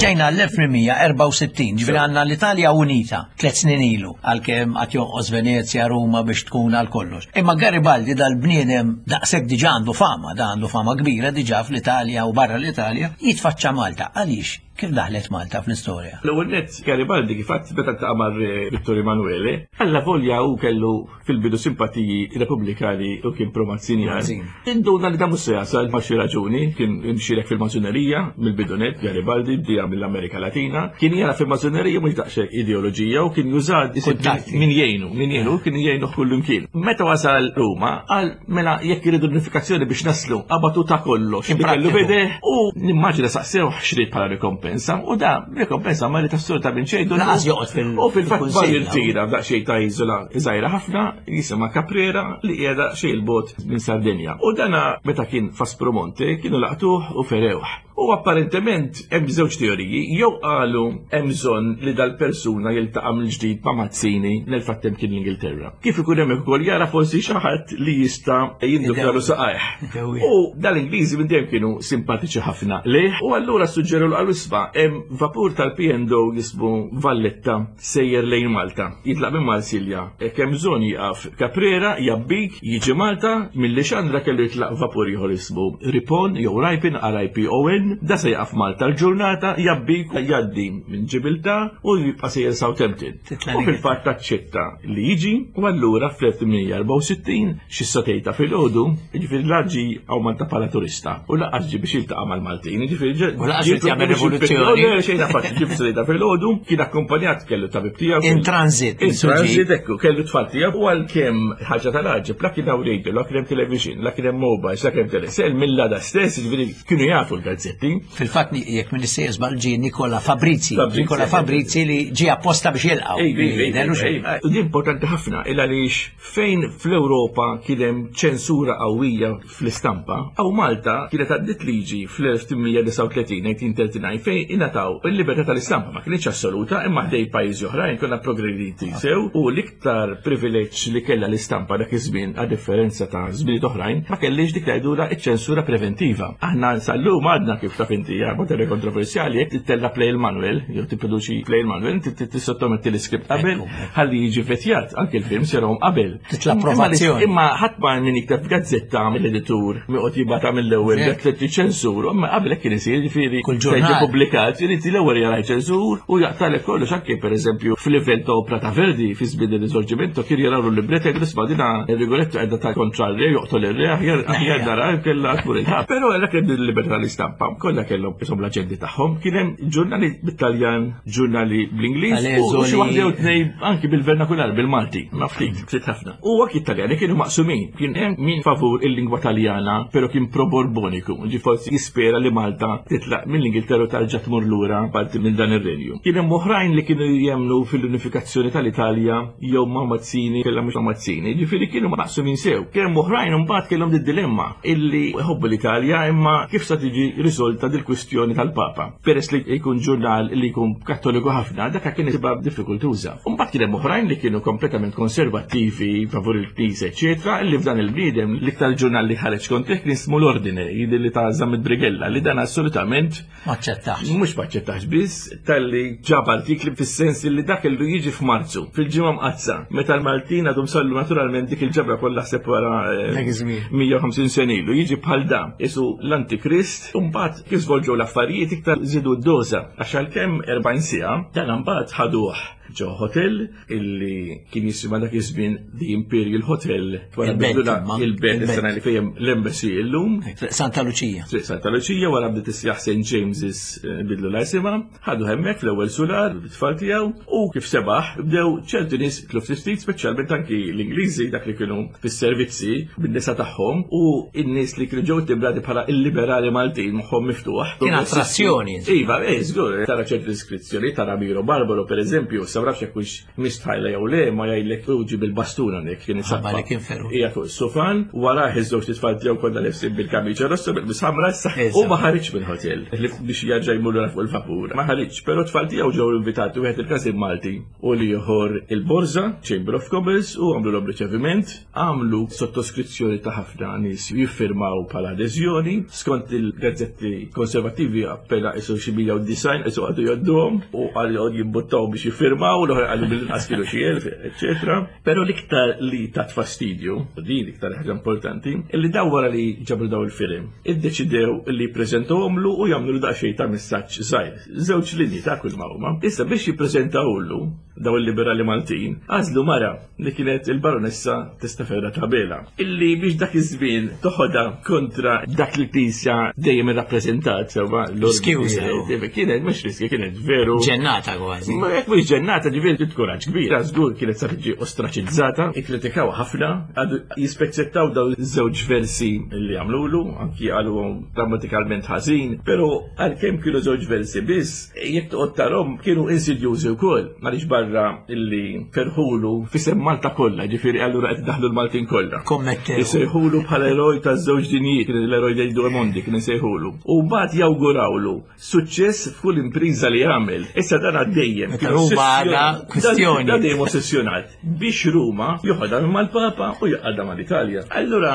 Ġejna l-elf tmien mija erbgħa u sittin, ġifieri għandna l-Italja Unita tliet snin ilu, għalkemm qed jonqos Venezja, Ruma biex tkun għal kollox. Imma Garibaldi dal-bniedem daqshekk diġà għandu fama, da għandu fama kbira diġà fl-Italja u barra l-Italja, jitfaċċa Malta. Għaliex? Kif daħlet Malta fl-istorja? L-ewwel nett Garibaldi kif għadd meta ltaqa' mar Vittorio Emanuele, alla volja hu kellu fil-bidu simpatiji repubblikani u kien pro-Mazzinjan. Mazzini. Induna li dan mhux se jasal ma' xi raġuni, kien imxierek fil-mażunerija mill-bidu nett, Garibaldi bdieha mill-Amerika Latina, kien jara fil-mażunerija mhux daqshekk ideoloġija u kien juża Kuntatti. min jgħinu, min jgħinu, kien jgħinu kull imkien. Meta wasal Ruma, qal mela jekk iridu unifikazzjoni biex naslu, qabatu ta' kollox. Kien Li kellu prattiku. bideh u nimmaġina saqsew xrid bħala rikompensa u da rikompensa ma li tas-sur ta' minn xejn. Laqas joqgħod fil- U fil-fatt fil-kunsill, bar jirtira f'daqsxejn ta' iżola żgħira ħafna jisimha Caprera li qiegħda xejn il-bogħod minn Sardinja. U dana meta kien f'Aspromonte kienu laqtuh u ferewh. U apparentement hemm żewġ teoriji, jew qalu hemm bżonn li dal-persuna jiltaqa' mill-ġdid ma' Mazzini nel-fattem kien l-Ingilterra. Kif ikun hemm ukoll jara forsi xi ħadd li jista' jindukkalu saqajh. Dewwi. U dal-Ingliżi minn dejjem kienu simpatiċi ħafna lejh, u allura suġġeru l qalu isma' hemm vapur tal-P and O jismu Valletta sejjer lejn Malta. Jitlaq minn Marsilja. Hekk hemm bżonn jieqaf Caprera, jabbik, jiġi Malta, mill-Lixandra kellu jitlaq vapur ieħor jismu Ripon jew Ripon, R I P O N, da se jaqaf Malta l-ġurnata, jabbik, jgħaddi minn Ġibiltà u jibqa' sejjer Southampton. Titla' U l-Ingilterra. fil-fatt taċċetta li jiġi, u allura fl-elf tmien mija erbgħa u sittin xi satejta filgħodu, jiġifieri laġi għaw Malta bħala turista u laqas ġi biex jiltaqa' mal-Maltin, jiġifieri ġe- U laqas ġie irid jagħmel biex jippetti- rivoluzzjoni. Le, xejn affatt, ġie fis satejta filgħodu, kien akkumpanjat kellu tabib tiegħu. In transit, In insuġi. transit, ekku, kellu tfal tiegħu u għalkemm ħaġa tal-għaġeb, la kien hawn radio, la kien hemm television, la kien hemm mobile, la kien hemm telesel, mill-għada stess, jiġifieri kienu jafu l-gazzetti. Fil-fatt ni-, jekk minn issejjes żball ġie Nicola Fabrizi, Fabrizi, Nicola eh, Fabrizi li ġie apposta biex jilqgħu. Ej, ej, ej, Dellu ej, xejn. ej. U din importanti ħafna, il għaliex fejn fl-Ewropa kien hemm ċensura qawwija fl-istampa, aw Malta kienet għaddit liġi fl-elf tmien mija disgħa u tletin, nineteen thirty-nine, fejn ingħataw il-libertà tal-istampa, ma kienx assoluta, imma ħdej pajjiżi oħrajn konna progrediti sew, u l-iktar privileġġ li kellha l-istampa dak iż-żmien, a differenza ta' żminijiet oħrajn, ma kellix dik li jgħidulha iċ-ċensura preventiva. Aħna sal-lum għadna kif taf inti, hija materja kontroversjali, jekk tittella play il-Manuel, jew tipproduċi play il-Manuel, inti t-, tissottometti l-iskript qabel, Ekku, ekku. ħalli jiġi vetjat, anke l-film serhom qabel. Titla' Imma approvazzjoni. Imma ħadd ma min jikteb f'gazzetta mill-editur, mi qed jibgħatha mill-ewwel, Ekku. dak li ċensur, imma qabel hekk kien isir, jiġifieri Kull se jiġi ġurnal. pubblikat, irid l-ewwel jara ċensur u jaqtalek kollox, anke pereżempju f'livell ta' opra ta' Verdi fi żmien ir-Risorġimento kien jaraw l-libret jgħidu isma' dina ir-Rigoletto qiegħda ta' kontra r-re, joqtol ir-re, aħjar aħjar nara kellha tmur il-ħabs. Però għalhekk hemm il-libertà tal-istampa, kollha kellhom isom l-aġendi tagħhom, kien hemm ġurnali bit-Taljan, ġurnali bl-Ingliż u xi waħda jew tnejn anki bil-vernakular bil-Malti, ma ftit, ftit ħafna. U anki Italjani kienu maqsumin, kien hemm min favur il-lingwa Taljana, però kien pro-Borboniku, ġi forsi jispera li Malta titlaq mill-Ingilterra u tarġa' tmur lura parti minn dan ir-renju. Kien hemm oħrajn li kienu jemnu fil-unifikazzjoni tal-Italja jew ma' Mazzini, kellha mhux ma' Mazzini, ġifieri kienu maqsumin sew. Kien hemm oħrajn imbagħad kellhom did-dilemma illi jħobbu l-Italja imma kif sa tiġi risolta dil-kwistjoni tal-Papa. Peress li jkun ġurnal li jkun kattoliku ħafna, dak kien isibha diffikultuża. Imbagħad kien hemm oħrajn li kienu kompletament konservattivi favur il-Knisja, eċetera, illi f'dan il-bniedem l-iktar ġurnal li ħareġ kontrih kien ismu l-Ordine, jidher li ta' Zammit Brigella, li dan assolutament Ma aċċettax. Mhux ma aċċettax biss, talli ġab artikli fis-sens li dak kellu jiġi f'Marzu, fil-ġimgħa mqaddsa, meta l-Maltin għadhom sallu naturalment dik il-ġabra kollha ħseb wara, eh, Dak iż-żmien. mija u ħamsin sena ilu, jiġi bħal da, isu l-Antikrist, u mbagħad kif żvolġew l-affarijiet iktar żidu d-doża, għax għalkemm erbgħin siegħa, dan mbagħad ħaduh ġo hotel illi kien jisimha dak iż-żmien The Imperial Hotel. Wara Il-Belt, bidlula imma. Il-Belt Il-Belt. is-sena li fejn l-Embassy illum. Santa Lucia. Triq Santa Lucia, wara bdiet issejjaħ Saint James's, eh, bidlu la isimha, ħadu hemmhekk fl-ewwel sular bit-tfal tiegħu u kif sebaħ bdew ċerti nies tlu ftit, speċjalment anki l-Ingliżi, dak li kienu fis-servizzi bin-nisa tagħhom u n-nies li kienu ġew timbrati bħala il-liberali Maltin, moħħhom miftuħ. Kien attrazzjoni. Iva, eh, żgur, tara ċerti deskrizzjoni, tara Miro Barbaro per eżempju, sa nafx jekk hux mistħajla jew le, ma jgħidlek uġi bil-bastuna nek kien Ħabba li kien feru. Hija fuq is-sufan, warah iż-żewġ tfal tiegħu kollha lebsin bil-kamiċa rossa bil-ħamra issa. Eżatt. U ma ħariġ mill-hotel li biex jerġa' jmur lura fuq il-vapur. Ma ħariġ, però tfal tiegħu ġew invitati, wieħed il-Każin Malti u l-ieħor il-Borża, Chamber of Commerce, u għamlu l riċeviment, għamlu sottoskrizzjoni ta' ħafna nies jiffirmaw bħala adeżjoni, skont il-gazzetti konservattivi appena isu xi mija u disgħin isu għadu jgħodduhom u għal jgħod jimbuttaw biex jiffirmaw, l-oħra għallu mill-inqas kienu xi elf, eċetera. Però l-iktar li tat fastidju, din l-iktar ħaġa importanti, illi daw wara li ġabru daw il-film, iddeċidew li jippreżentawhomlu u jagħmlu daqsxejn ta' messaġġ żgħir. Żewġ linji ta' kull ma huma. Issa biex jippreżentawlu daw il-liberali Maltin, għażlu mara li kienet il-baronessa Testaferra Tabela, illi biex dak iż-żmien toħodha kontra dak li l-Knisja dejjem irrappreżentat sewwa Riskjuża. l Kienet mhux riskju, kienet veru. Ġennata kważi. Ma jekk mhux ġennata, ġifieri trid kuraġġ kbir. Żgur kienet sa tiġi ostraċizzata, ikkritikaw ħafna, għadu jispeċċettaw daw iż-żewġ versi li għamlulu, anki qalu grammatikalment ħażin, però għalkemm kienu żewġ versi biss, jekk toqgħod tarhom kienu insidjużi wkoll, għaliex barra illi ferħulu fisem Malta kollha, ġifieri allura qed daħlu l-Maltin kollha. Kommettew. Isejħulu bħala eroj ta' żewġ dinjiet, kien l-eroj dei due mondi, kien isejħulu. U mbagħad jawgurawlu suċċess f'kull impriża li jagħmel. Issa dan għaddejjem. Meta Ruma għadha kwistjoni. Dan dejjem ossessjonat biex Ruma joħodha mal-Papa u joqgħodha mal-Italja. Allura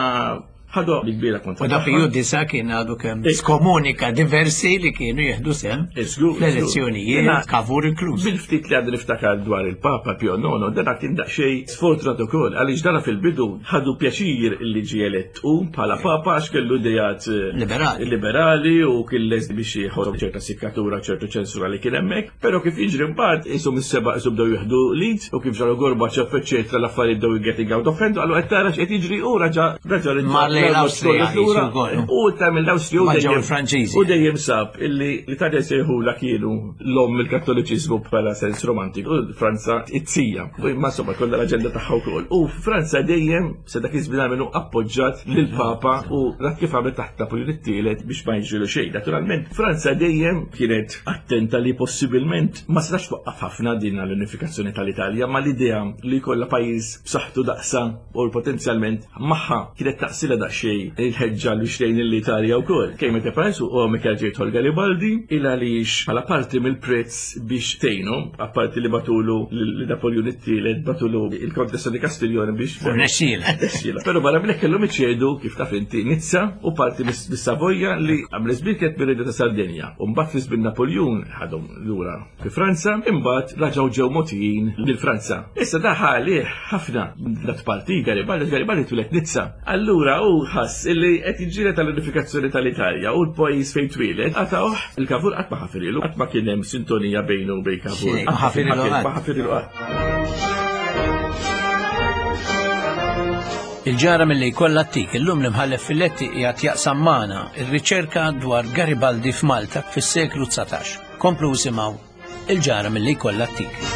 ħadu li kbira kontra. U da tagħha. Piju Disa kien għadu kemm Eh. skomunika diversi li kienu jieħdu sem Żgur, żgur. fl-elezzjonijiet, Jena- Cavour inkluż. Bil-ftit li għadu niftakar dwar il-Papa Pio Nono, dana kien daqsxejn sfortunat ukoll, għaliex dana fil-bidu ħadu pjaċir li ġie elett u bħala Papa għax kellu idejat eh, Liberali. liberali u kien lest biex jieħu ċerta sikkatura, ċertu ċensura li kien hemmhekk, però kif jiġri mbagħad isom is-seba' isom bdew jieħdu lead u kif ġaru Gorbachev eċetera l-affarijiet bdew getting out of hand, għallu qed tara x'qed jiġri u raġa raġa Mar lejn l-Awstrija, lura. jisu wkoll. U ta' mill-Awstrija u Ma ġew dejjem- il-Franċiżi. U dejjem sab illi l-Italja sejħula kienu l-om il-Kattoliċiżmu bħala sens romantiku, u Franza it-sija. U imma insomma kollha l-aġenda tagħha wkoll. U Franza dejjem se dak iż-żmien għamlu appoġġat lill-Papa u dak kif għamlet taħt Napoleon it-tielet biex ma jiġrilu xejn. Naturalment, Franza dejjem kienet attenta li possibilment ma setax twaqqaf ħafna din l-unifikazzjoni tal-Italja, ma l-idea li jkollha pajjiż b'saħħtu daqsa u potenzjalment magħha kienet taqsila daqsxejn il-ħeġġa li xtejn l-Italja wkoll. Kemm meta pajjiż u Michael ġejtħol Garibaldi il għaliex bħala parti mill-prezz biex tgħinu, apparti li batulu li Napoleon it-tielet batulu il-Kontessa di Castiglione biex U rnexxiela. Rnexxiela. Però barra minn hekk kellhom iċedu kif taf inti Nizza u parti mis-Savoja li għamel żmien kienet mir-Reġju ta' Sardenja. U mbagħad fi żmien Napoleon ħadhom lura fi Franza, imbagħad raġgħu ġew mogħtijin lil Franza. Issa da ħali ħafna dat parti Garibaldi, Garibaldi twieled Nizza. Allura u ħass illi qed jiġġieled tal-unifikazzjoni tal-Italja u l-pajjiż fejn twieled, qatgħuh il-Cavour qatt ma ħafirilu, qatt ma kien hemm sintonija bejnu u bejn Cavour. Xejn, ma ħafirilu qatt. Ma ħafirilu qatt. Il-ġara mill-li kollha tik illum l-imħallef Filletti qiegħed jaqsam magħna ir-riċerka dwar Garibaldi f'Malta fis-seklu dsatax. Komplu simgħu il-ġara mill-li kollha tik.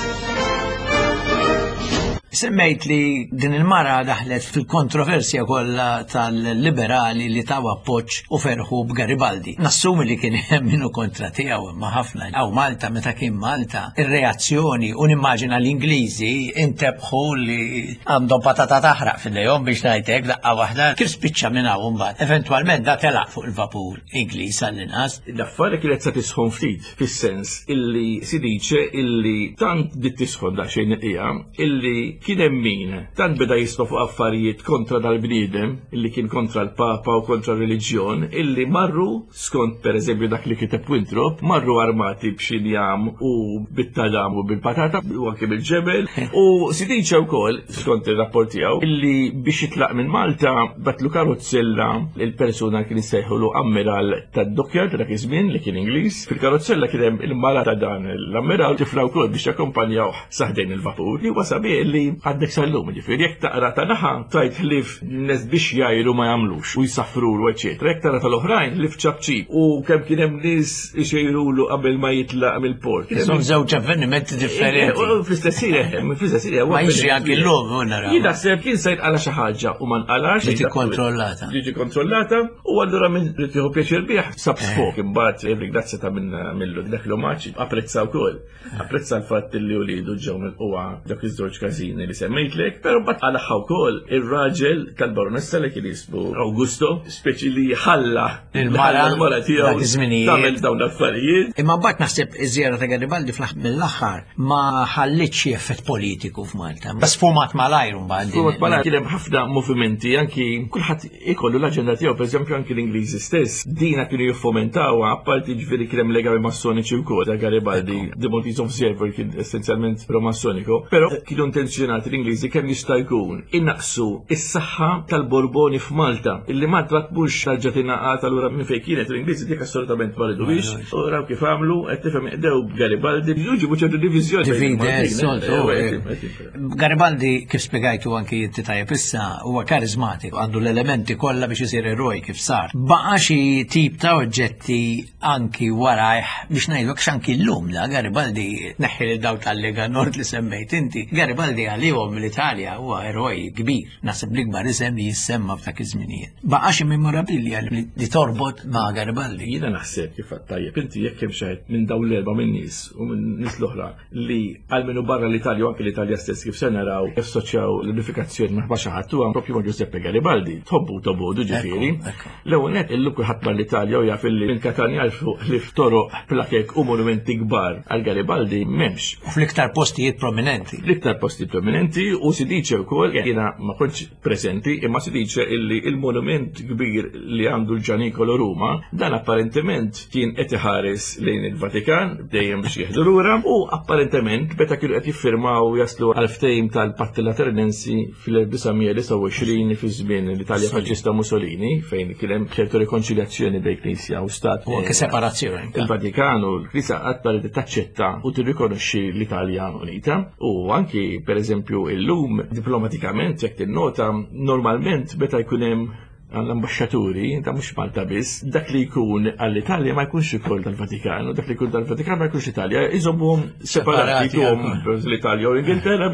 Semmejt li din il-mara daħlet fil-kontroversja kollha tal-liberali li taw appoġġ u ferħu b'Garibaldi. Nassumi li kien hemm minnu kontra tiegħu imma ħafna. Aw Malta meta kien Malta, ir-reazzjoni u nimmaġina l-Ingliżi intebħu li għandhom patata taħraq f'idejhom biex ngħidlek daqqa waħda kif spiċċa minn hawn mbagħad. Eventwalment da telaq fuq il-vapur Ingliż għall-inqas. L-affari kienet sa tisħon ftit, fis-sens illi si dice illi tant dit tisħon daqsxejn il-qija illi kien Kien hemm min tant beda jisma' fuq affarijiet kontra dal-bniedem illi kien kontra l-Papa u kontra r-reliġjon, illi marru, skont pereżempju dak li kiteb Winthrop, marru armati b'xi njam u bit-tadam u bil-patata u anke bil-ġebel. U si dice wkoll, skont ir-rapport tiegħu, illi biex jitlaq minn Malta batlu karozzella il-persuna kien issejħulu ammiral tad-dockyard dak iż-żmien li kien Ingliż. Fil-karozzella kien hemm il-mara ta' dan l-ammiral, tifla wkoll, biex jakkompanjawh sa ħdejn il-vapur. Li huwa sabiħ li għaddek sal-lum, ġifieri jekk taqra ta' naħa tajt ħlif nies biex jgħiru ma jagħmlux u jsaffrulu eċetera. Jekk tara tal-oħrajn ħlif ċapċip u kemm kien hemm nies ixejrulu qabel ma jitlaq mill-port. Son żewġ avvenimenti differenti. Fl-istess ħin, fl-istess ħin. Ma jiġri anki llum, u naraw. Jien naħseb kien se jinqala xi ħaġa u ma nqalax. Ġiet ikkontrollata. Ġiet kontrollata u allura minn rid jieħu pjaċir bih sab sfok, imbagħad irringrazzja ta' minn millu dak l-omaġġ, apprezza wkoll. Apprezza l-fatt li ulidu ġew mill-qwa dak iż-żewġ każini li semmejtlek, però mbagħad għalaħħa wkoll ir-raġel tal-baronessa li kien jismu Augusto, speċi li ħalla Il-mara l-mara tiegħu dak iż-żminijiet. tagħmel dawn l-affarijiet. Imma mbagħad naħseb iż-żjara ta' Garibaldi fl mill-aħħar ma ħallitx xi effett politiku f'Malta. Bas sfumat malajr mbagħad. Fuq bħala kien hemm ħafna movimenti, anki kulħadd ikollu l-aġenda tiegħu, pereżempju anki l-Ingliżi stess, dina kienu jiffomentawha, apparti ġifieri kien hemm legami massoniċi wkoll ta' Garibaldi, The Maltese Observer kien essenzjalment pro-massonico, però kienu intenzjonati l-Ingliżi kemm jista' jkun innaqsu is-saħħa tal-Borboni f'Malta, illi Malta ma tmurx tarġa' tingħaqad allura minn fejn kienet l-Ingliżi dik assolutament ma riduhiex, u raw kif għamlu, qed tifhem, qdew b'Garibaldi, ġibu ċertu diviżjoni bejn Divide, il-Maltin, soltu. eh, eh, eh, Garibaldi, kif spiegajtu anki inti tajjeb issa, huwa karizmatiku, għandu l-elementi kollha biex isir eroj kif sar. Baqa xi tip ta' oġġetti anki warajh biex ngħidu x'anki llum da Garibaldi, neħħi lil daw tal-Lega Nord li semmejt inti. Garibaldi għalihom l-Italja huwa eroj kbir. Naħseb l-ikbar isem li jissemma f'dak iż-żminijiet. Baqa xi memorabilia li li torbot ma' Garibaldi. Jiena naħseb kif għedt tajjeb inti, jekk hemm xi ħadd minn dawn l-erba' minn nies u minn nies l-oħra li għalmenu barra l-Italja u anke l-Italja stess kif se naraw assoċjaw l-unifikazzjoni ma' xi ħadd, huwa propju ma' Giuseppe Garibaldi. Tħobbu tobodu ġifieri. Ekku. L-ewwel nett illum kulħadd mar l-Italja u jaf illi minn Katanja 'l fuq li f'toroq plakek u monumenti kbar għal Garibaldi m'hemmx. U fl-iktar postijiet prominenti. L-iktar posti prominenti, u si dice wkoll, jiena ma kontx preżenti, imma si dice illi il-monument kbir li għandu l-Ġanikolo Ruma, dan apparentement kien qed iħares lejn il-Vatikan dejjem biex jieħdu lura, u apparentement meta kienu qed jiffirmaw jaslu għal ftehim tal-Patti Lateranensi fil-elf disa' mija disgħa u għoxrin fi żmien l-Italja Faxxista Mussolini, fejn kien hemm ċertu rikonċiljazzjoni bejn Knisja u Stat. U anke separazzjoni. Il-Vatikan u l-Knisja qatt ma ridet taċċetta u tirrikonoxxi l-Italja Unita, u anki pereżempju illum diplomatikament jekk tinnota normalment meta jkun hemm għall-ambasċaturi, ta' mhux Malta biss, dak li jkun għall-Italja ma jkunx ukoll tal-Vatikan, u dak li jkun tal-Vatikan ma jkunx Italja, iżommuhom separati. Separati, tuhom ekku. l-Italja u l-Ingilterra,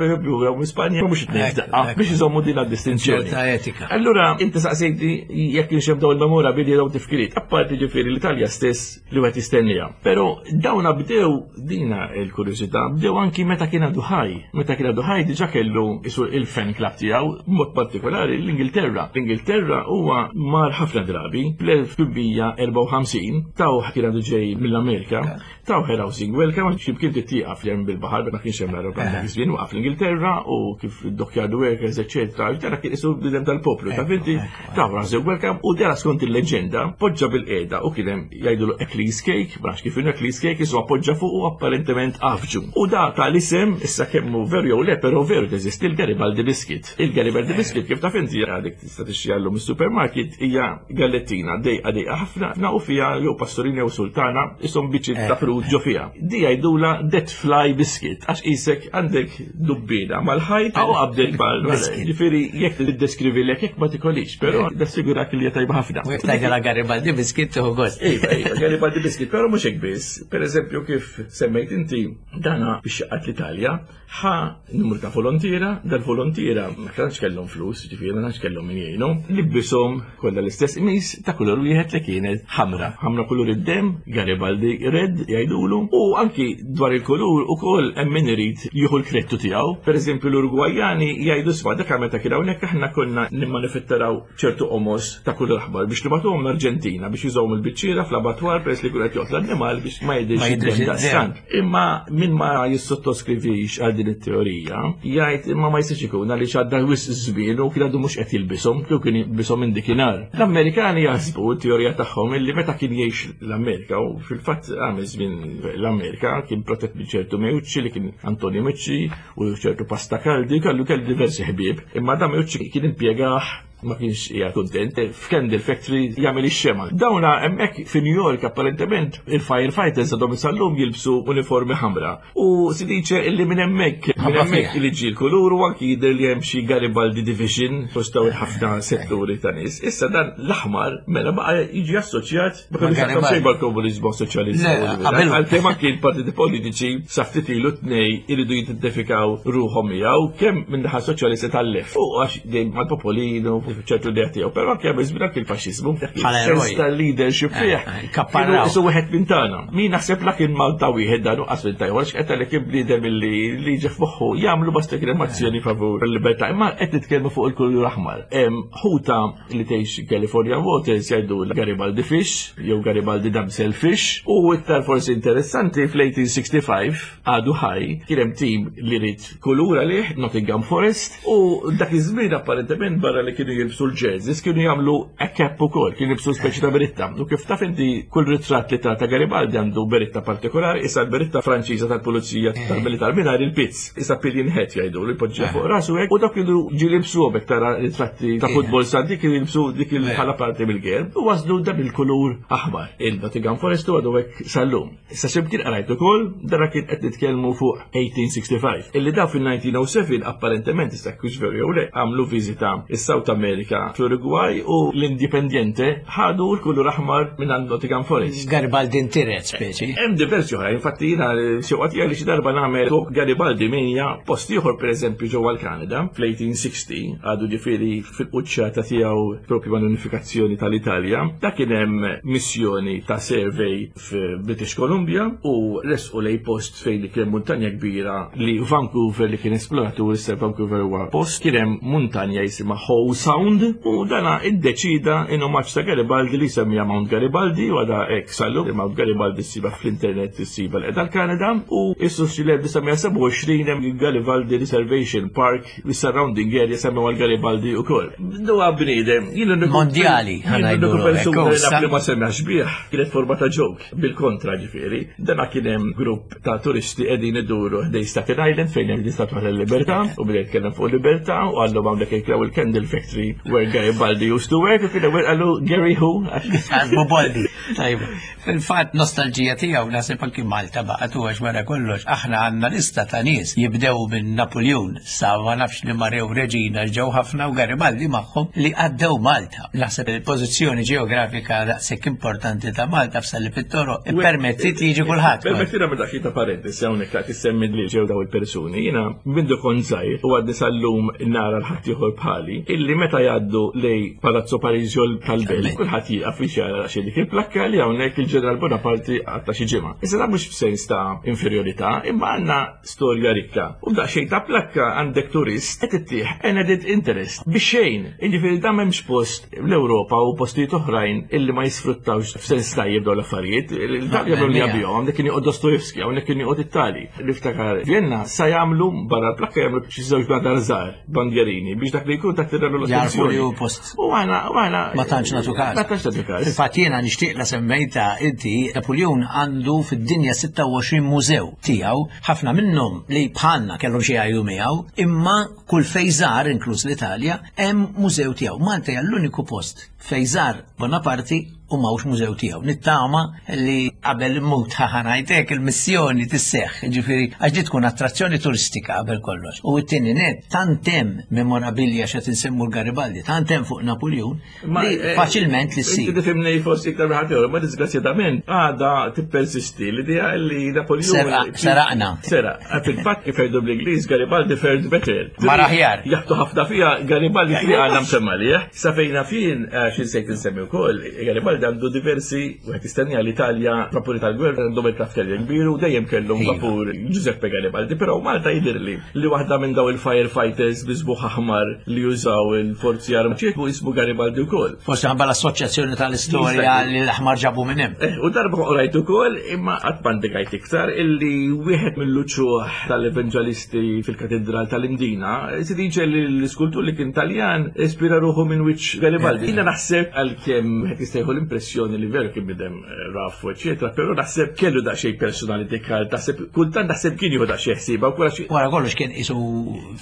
u Spanja, mhux it-tnejn Ekku, f'daqqa, ekku. biex iżommu din distinzjoni. Ċerta etika. Allura, inti saqsejti jekk kienx hemm dawn il-memorabilia, dawn tifkiriet, apparti ġifieri l-Italja stess li wieħed jistennija. Però dawna bdew, dina il-kurjużità, bdew anki meta kien għadu ħaj. Meta kien għadu ħaj diġà kellu isu il-fan club tiegħu, b'mod partikolari l-Ingilterra. L-Ingilterra huwa mar ħafna drabi, fl-elf tmien mija erbgħa u ħamsin tawh, kien għadu ġej mill-Amerika, tawh rousing welcome, xi kien titieqaf li hemm bil-baħar, ma kienx hemm l-aeroplan dak iż-żmien, waqaf l-Ingilterra u kif id-dockyard workers, eċetera. Dara kien isu bidem tal-poplu, ta' finti, taw rousing welcome u dara skont il-leġenda poġġa bil-qiegħda u kien hemm jgħidulu Eccles cake, ma nafx kif inhu Eccles cake, isu appoġġa fuq u apparentement afġu. U da tal-isem, issa kemmu veru jew le, però veru teżisti il-Garibaldi biscuit. Il-Garibaldi biscuit, kif taf inti, għadek tista' tixtri llum is-supermarket, hija gallettina dejqa dejqa ħafna na u fiha jew pastorina jew sultana, ishom biċċiet ta' frut ġo fiha. Di jgħidula dead fly biscuit għax isek għandek dubbina mal-ħajt u qabdel bal. Biscuit. Ġifieri jekk tiddeskrivi lek jekk ma tikolix, però nassigurak li hija tajba ħafna. U jekk tgħidilha Garibaldi biscuit tieħu gost. Iva, iva, Garibaldi biscuit, però mhux hekk biss. Per eżempju, kif semmejt inti, dana biex jgħaqqad l-Italja, ħa numru ta' volontiera, dal-volontiera ma tantx kellhom flus, ġifieri ma tantx kellhom min jgħinu, libbishom kellhom kollha l-istess qmis ta' kulur wieħed li kienet ħamra. Ħamra kulur id-demm, Garibaldi red jgħidulu, u anki dwar il-kulur ukoll hemm min irid jieħu l-kredtu tiegħu. Pereżempju l-Urugwajani jgħidu sma dak meta kien hawnhekk aħna konna nimmanifettaraw ċertu qomos ta' kulur aħmar biex nibagħtuhom l-Arġentina biex jużawhom il-biċċiera fl-abatwar peress li kull qed joqtol l-annimal biex ma jidhirx id-demm daqstant. Imma min ma jissottoskrivi għal din it-teorija, jgħid imma ma jistax ikun għaliex għadda wisq żmien u kien għadu mhux qed jilbishom, kieku kien jilbishom minn dakinhar. L-Amerikani jaħsbu t-teorija tagħhom illi meta kien jgħix l-Amerika u fil-fatt għamel żmien l-Amerika kien protett minn ċertu Meucci li kien Antonio Meucci u ċertu Pastacaldi, kellu kellu diversi ħbieb, imma da Meucci kien impjegah ma kienx hija kuntent, f'Candle Factory jagħmel ix-xema. Dawna hemmhekk fi New York apparentement il-firefighters għadhom sal-lum jilbsu uniformi ħamra. U si dice illi minn hemmhekk minn hemmhekk li ġie l-kulur u anki jidher li hemm xi Garibaldi Division fost dawn ħafna setturi ta' nies. Issa dan l-aħmar mela baqa' jiġi assoċjat ma kellux x'jaqsam xejn mal-komuniżmu u soċjaliżmu. Għalkemm anki l-partiti politiċi sa ftit ilu tnej iridu jidentifikaw ruħhom miegħu kemm minn naħa soċjalista tal-left. U għax dejjem mal-popolinu ċertu idea tiegħu, però anke hemm iżmin anke l-faxxiżmu, sens ta' leadership fih. Kapparraw. Isu wieħed minn tagħna. Min naħseb la kien Malta wieħed dan u qas minn tajwar x'qed li kien bniedem illi li ġe f'moħħu jagħmlu basta kien hemm azzjoni favur il-libertà, imma qed nitkellmu fuq il-kulur aħmar. Hemm ħuta li tgħix California Waters jgħidu Garibaldi Fish jew Garibaldi Damsel Fish u iktar forsi interessanti fl-eighteen sixty-five għadu ħaj kien hemm tim li rid kulur għalih, Nottingham Forest, u dak iż-żmien apparentement barra li kienu jilbsu l-jerseys kienu jagħmlu a cap ukoll, kienu jilbsu speċi ta' beritta. U kif taf inti kull ritratt li ta' ta' Garibaldi għandu beritta partikolari, issa l-beritta Franċiża tal-pulizija tal-militar mingħajr il-pizz. Issa pillion hat jgħidu li jpoġġiha fuq rasu hekk u dak kienu ġi jilbsu hekk tara ritratti ta' futbol sa dik kienu jilbsu dik il-bħala parti mill-gerb u waslu dan il-kulur aħmar. Il-Nottingham Forest u għadu hekk sal-lum. Issa ximkien qrajt ukoll dara kien qed nitkellmu fuq eighteen sixty-five. Illi daw fil-nineteen oh seven apparentement, issa kux veru jew le, għamlu viżita is-South America fl-Uruguay u l-Independiente ħadu l-kulur aħmar minn għand Nottingham Forest. Garibaldi intiret speċi. Hemm diversi oħra, infatti jiena xewqat li xi darba nagħmel fuq Garibaldi minja post ieħor, pereżempju ġewwa l-Kanada fl-eighteen sixty, għadu ġifieri fil-quċċata tiegħu propju mal-unifikazzjoni tal-Italja. Dak kien hemm missjoni ta' survey f'British Columbia u resqu lej post fejn li kien muntanja kbira li Vancouver li kien esploratur, issa Vancouver huwa post, kien hemm muntanja jisimha Howe Sound u dana iddeċida in omaġġ ta' Garibaldi li semmija Mount Garibaldi u għada hekk sallu. Mount Garibaldi ssiba fl-internet, ssiba l l-Kanada u issu fl-elf disa' mija sebgħa u għoxrin hemm Garibaldi Reservation Park, surrounding area semmew għal Garibaldi ukoll. Huwa bniedem, jien l-uniku- Mondjali, jien l-uniku ħa ngħidu persuna li hekk, naf li ma semmax bih, kienet forma ta' joke, bil-kontra ġifieri. Dana kien hemm grupp ta' turisti qegħdin iduru ħdej Staten Island fejn hemm l-Istatwa tal-Libertà u bdejt jitkellem fuq libertà u għallu hawnhekk jklaw il-Candle Factory where Garibaldi used to work u kien hemm qallu, "Gary who?" Għazbu Boldi. Tajba. Fil-fatt nostalġija tiegħu naħseb anki Malta baqgħet u għax wara kollox aħna għandna lista ta' nies jibdew minn Napoleon sa ma nafx li Marew Reġina ġew ħafna u Garibaldi magħhom li għaddew Malta. Naħseb il-pożizzjoni ġeografika daqshekk importanti ta' Malta f'Salib it-Toroq ippermettit li jiġi kulħadd. Permettina minn dak ta' parentesi hawnhekk ta' tissemmi li ġew daw il-persuni. Jiena mindu kont żgħir u għadni sal-lum nara l-ħadd ieħor bħali illi meta jgħaddu lej Palazzo Parisio tal-Belt kulħadd jieqaf biex jara xi dik il-plakka li hawnhekk il-Ġeneral Bonaparte għatta xi ġimgħa. Issa dan mhux f'sens ta' inferjorità, imma għandna storja rikka. U daqsxejn ta' plakka għandek turist qed ittih an added interest biex xejn. Jiġifieri dan m'hemmx post l-Ewropa u postijiet oħrajn illi ma jisfruttawx f'sens tajjeb dawn l-affarijiet. L-Italja għamlu li għabihom, hawnhekk kien joqgħod Dostoevsky, hawnhekk kien joqgħod Ittali. Niftakar Vienna sa jagħmlu barra l-plakka jagħmlu xi żewġ bladar żgħar, bandjerini, biex dak li jkun tattiralu Jarfu li l-attenzjoni. hu post U għana, u għana. Ma tantx nagħtu każ. Ma tantx nagħtu każ. Fil-fatt jiena nixtieq la semmejta inti, Napoleon għandu fid-dinja sitta u għoxrin mużew tiegħu, ħafna minnhom li bħalna kellhom xi jgħidu miegħu, imma kull fejn żar, inkluż l-Italja, hemm mużew tiegħu. Malta hija l-uniku post fejn żar Bonaparte. u m'hawnx mużew tiegħu. Nittama li qabel immut ħanajtek il-missjoni tisseħħ, ġifieri għax di tkun attrazzjoni turistika qabel kollox. U t-tieni net tant hemm memorabilja x'qed insemmu l-Garibaldi, tant hemm fuq Napoleon li faċilment li ssir. Inti tifhimni forsi iktar minn ħadd, ma disgrazzjatament għadha tippersisti l-idea li Napoleon seraqna. Seraq. Fil-fatt kif jgħidu bl-Ingliż Garibaldi fared better. Mar aħjar. Jaħtu ħafna fiha Garibaldi fi għandna msemma lih. Sa fejna fin xi nsejt insemmi wkoll, Garibaldi għandu diversi, wieħed jistenni l-Italja vapuri tal-gwerra għandhom il-traftelja kbir u dejjem kellhom vapur Giuseppe Garibaldi, però Malta jidhirli li waħda minn daw il-firefighters biżbuħ aħmar li jużaw il-forzi armati jismu Garibaldi wkoll. Forsi ħabba l-assoċjazzjoni tal-istorja li l-aħmar ġabu minn hemm. Eh, u darba qrajt ukoll imma qatt m'għandek iktar illi wieħed mill-uċuħ tal-evanġelisti fil-katedral tal-Imdina si dice li l-iskultur li kien Taljan ispira ruħu minn wiċċ Garibaldi. Jiena naħseb għalkemm qed jistejħu l-impressjoni li veru kien bidem rafu, eċetera, però naħseb kellu daqsxejn personality kal, naħseb kultant naħseb kien jieħu daqsxejn ħsieba u xi. Wara kollox kien isu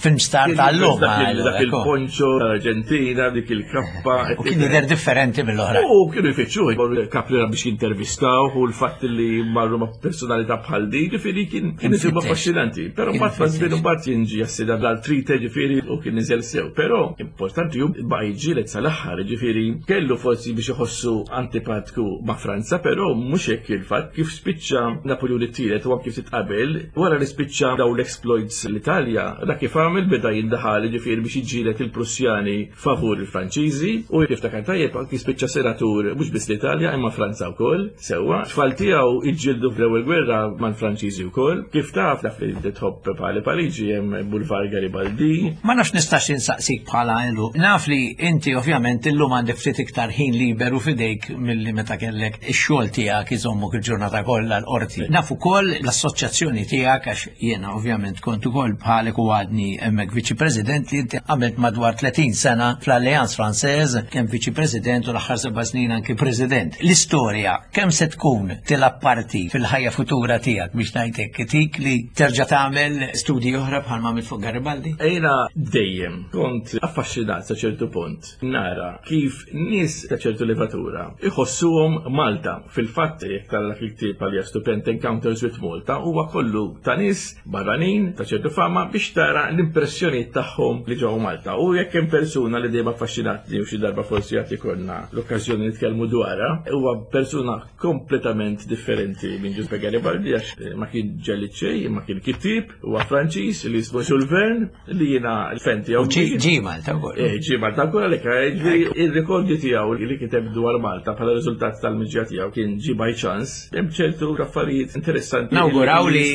film star tal-lum. Dak il-poncho tal-Arġentina, dik il-kappa. U kien jidher differenti mill-oħra. U kienu jfittxuh, Caprera biex jintervistaw u l-fatt li marru ma' personalità bħal din, ġifieri kien kien isib affaxxinanti. Però mbagħad ma' żmien imbagħad jinġi jassida dal-trite ġifieri u kien niżel sew. Però importanti hu baqa' jiġġieled sal-aħħar, ġifieri kellu forsi biex iħossu antipatku ma' Franza, però mhux hekk il-fatt kif spiċċa Napoleon it-tielet u anke ftit qabel, wara li spiċċa daw l-exploits l-Italja, dak kif għamel beda jindaħal ġifieri biex jiġġieled il-Prussjani favur il-Franċiżi u jiftakar tajjeb anki spiċċa senatur mhux biss l-Italja imma Franza wkoll. Sewwa, tfal tiegħu jiġġieldu fl-ewwel gwerra mal-Franċiżi wkoll. Kif taf taf li tħobb bħali Pariġi hemm Boulevard Garibaldi. Ma nafx nistax insaqsik bħala ilu. Naf li inti ovvjament illum għandek ftit iktar ħin liberu fidejk milli meta kellek ix-xogħol tiegħek iżommok il-ġurnata kollha l-qorti. Naf ukoll l-assoċjazzjoni tiegħek għax jiena ovvjament kont ukoll bħalek u għadni hemmhekk viċi president li inti għamilt madwar tletin sena fl-Alliance Française, kemm viċi president u l-aħħar seba' snin anki president. L-istorja kemm se tkun tilgħab parti fil-ħajja futura tiegħek biex ngħidlek tik li terġa' tagħmel studji oħra bħal ma għamilt fuq Garibaldi? Jiena dejjem kont affaxxinat sa ċertu punt nara kif nies ta' ċertu levatura iħossuhom Malta. Fil-fatt jekk tara dak il-ktieb għalija stupend Encounters with Malta huwa kollu ta' nies barranin ta' ċertu fama biex tara l-impressjonijiet tagħhom li ġew Malta. U jekk hemm persuna li dejjem affaxxinatni u xi darba forsi jagħti konna l-okkażjoni nitkellmu dwarha, huwa persuna kompletament differenti minn Giuseppe Garibaldi għax ma kien ġelli xejn, imma kien kittieb, huwa Franċiż li jismu Jules Verne li jiena l-fen tiegħu. Ġie Malta wkoll. Eh, ġie Malta wkoll għalhekk ir-rikordju tiegħu li kiteb dwar Malta bħala riżultat tal-miġja tiegħu kien ġie by chance. Hemm ċertu affarijiet interessanti. Nawguraw li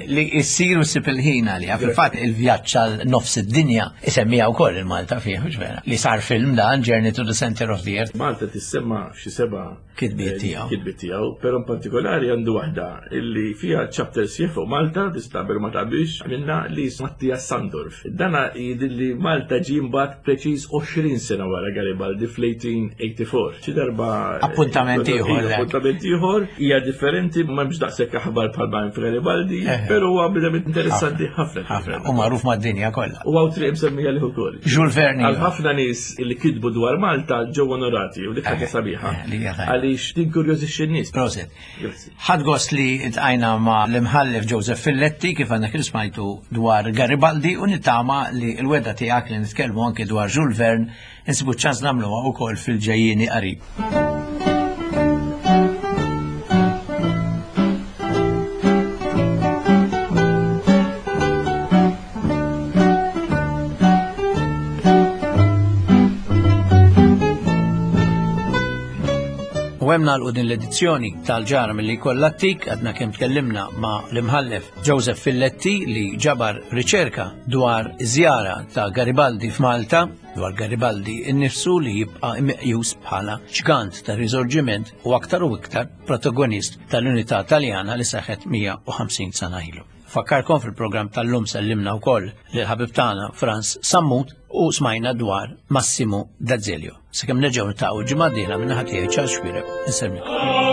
li jsiru ssib il-ħin għaliha. Fil-fatt il-vjaġġ għal nofs id-dinja isemmija wkoll il-Malta fih, mhux vera? Li sar film dan Journey to the Center of the Earth. Malta tissemma f'xi seba' kitbiet tiegħu. Kitbiet tiegħu, però in partikolari għandu waħda illi fiha chapter sieħ fuq Malta, tista' qabel ma taqbilx minna li Mattias Sandorf. Dana jidilli Malta ġie mbagħad preċiż għoxrin sena wara Garibaldi fl-eighteen eighty-four. Xi darba appuntament ieħor. Appuntament ieħor hija differenti, m'hemmx daqshekk aħbar bħal ma hemm f'Garibaldi, però huwa bidem interessanti ħafna. U magħruf mad-dinja kollha. U hawn triq msemmija liħ ukoll. Jules Verne. Għal ħafna nies li kitbu dwar Malta ġew onorati u dik ħaġa sabiħa. Għaliex tinkurjożixxi n-nies. Proset. Ħadd gost li tqajna ma' l-imħallef Joseph Filletti kif għandna kif smajtu dwar Garibaldi u nittama li l-weda tiegħek li nitkellmu anke dwar Jules Verne insibu ċans nagħmluha wkoll fil-ġejjieni qarib. U hemm nagħlqu din l-edizzjoni tal-ġara milli jkollha t-tik, għadna kemm tkellimna ma' l-imħallef Joseph Filletti li ġabar riċerka dwar żjara ta' Garibaldi f'Malta, dwar Garibaldi innifsu li jibqa' meqjus bħala ġgant ta' risorġiment u aktar u iktar protagonist tal-Unità Taljana li seħħet mija u ħamsin sena ilu. Fakkarkom fil-programm tal-lum sellimna wkoll lil ħabib tagħna Franz Sammut u smajna dwar Massimo D'Azeglio. Sakemm nerġgħu niltaqgħu ġimgħa d-dieħla minn naħa tiegħi Charles Xuereb. Insellmilkom.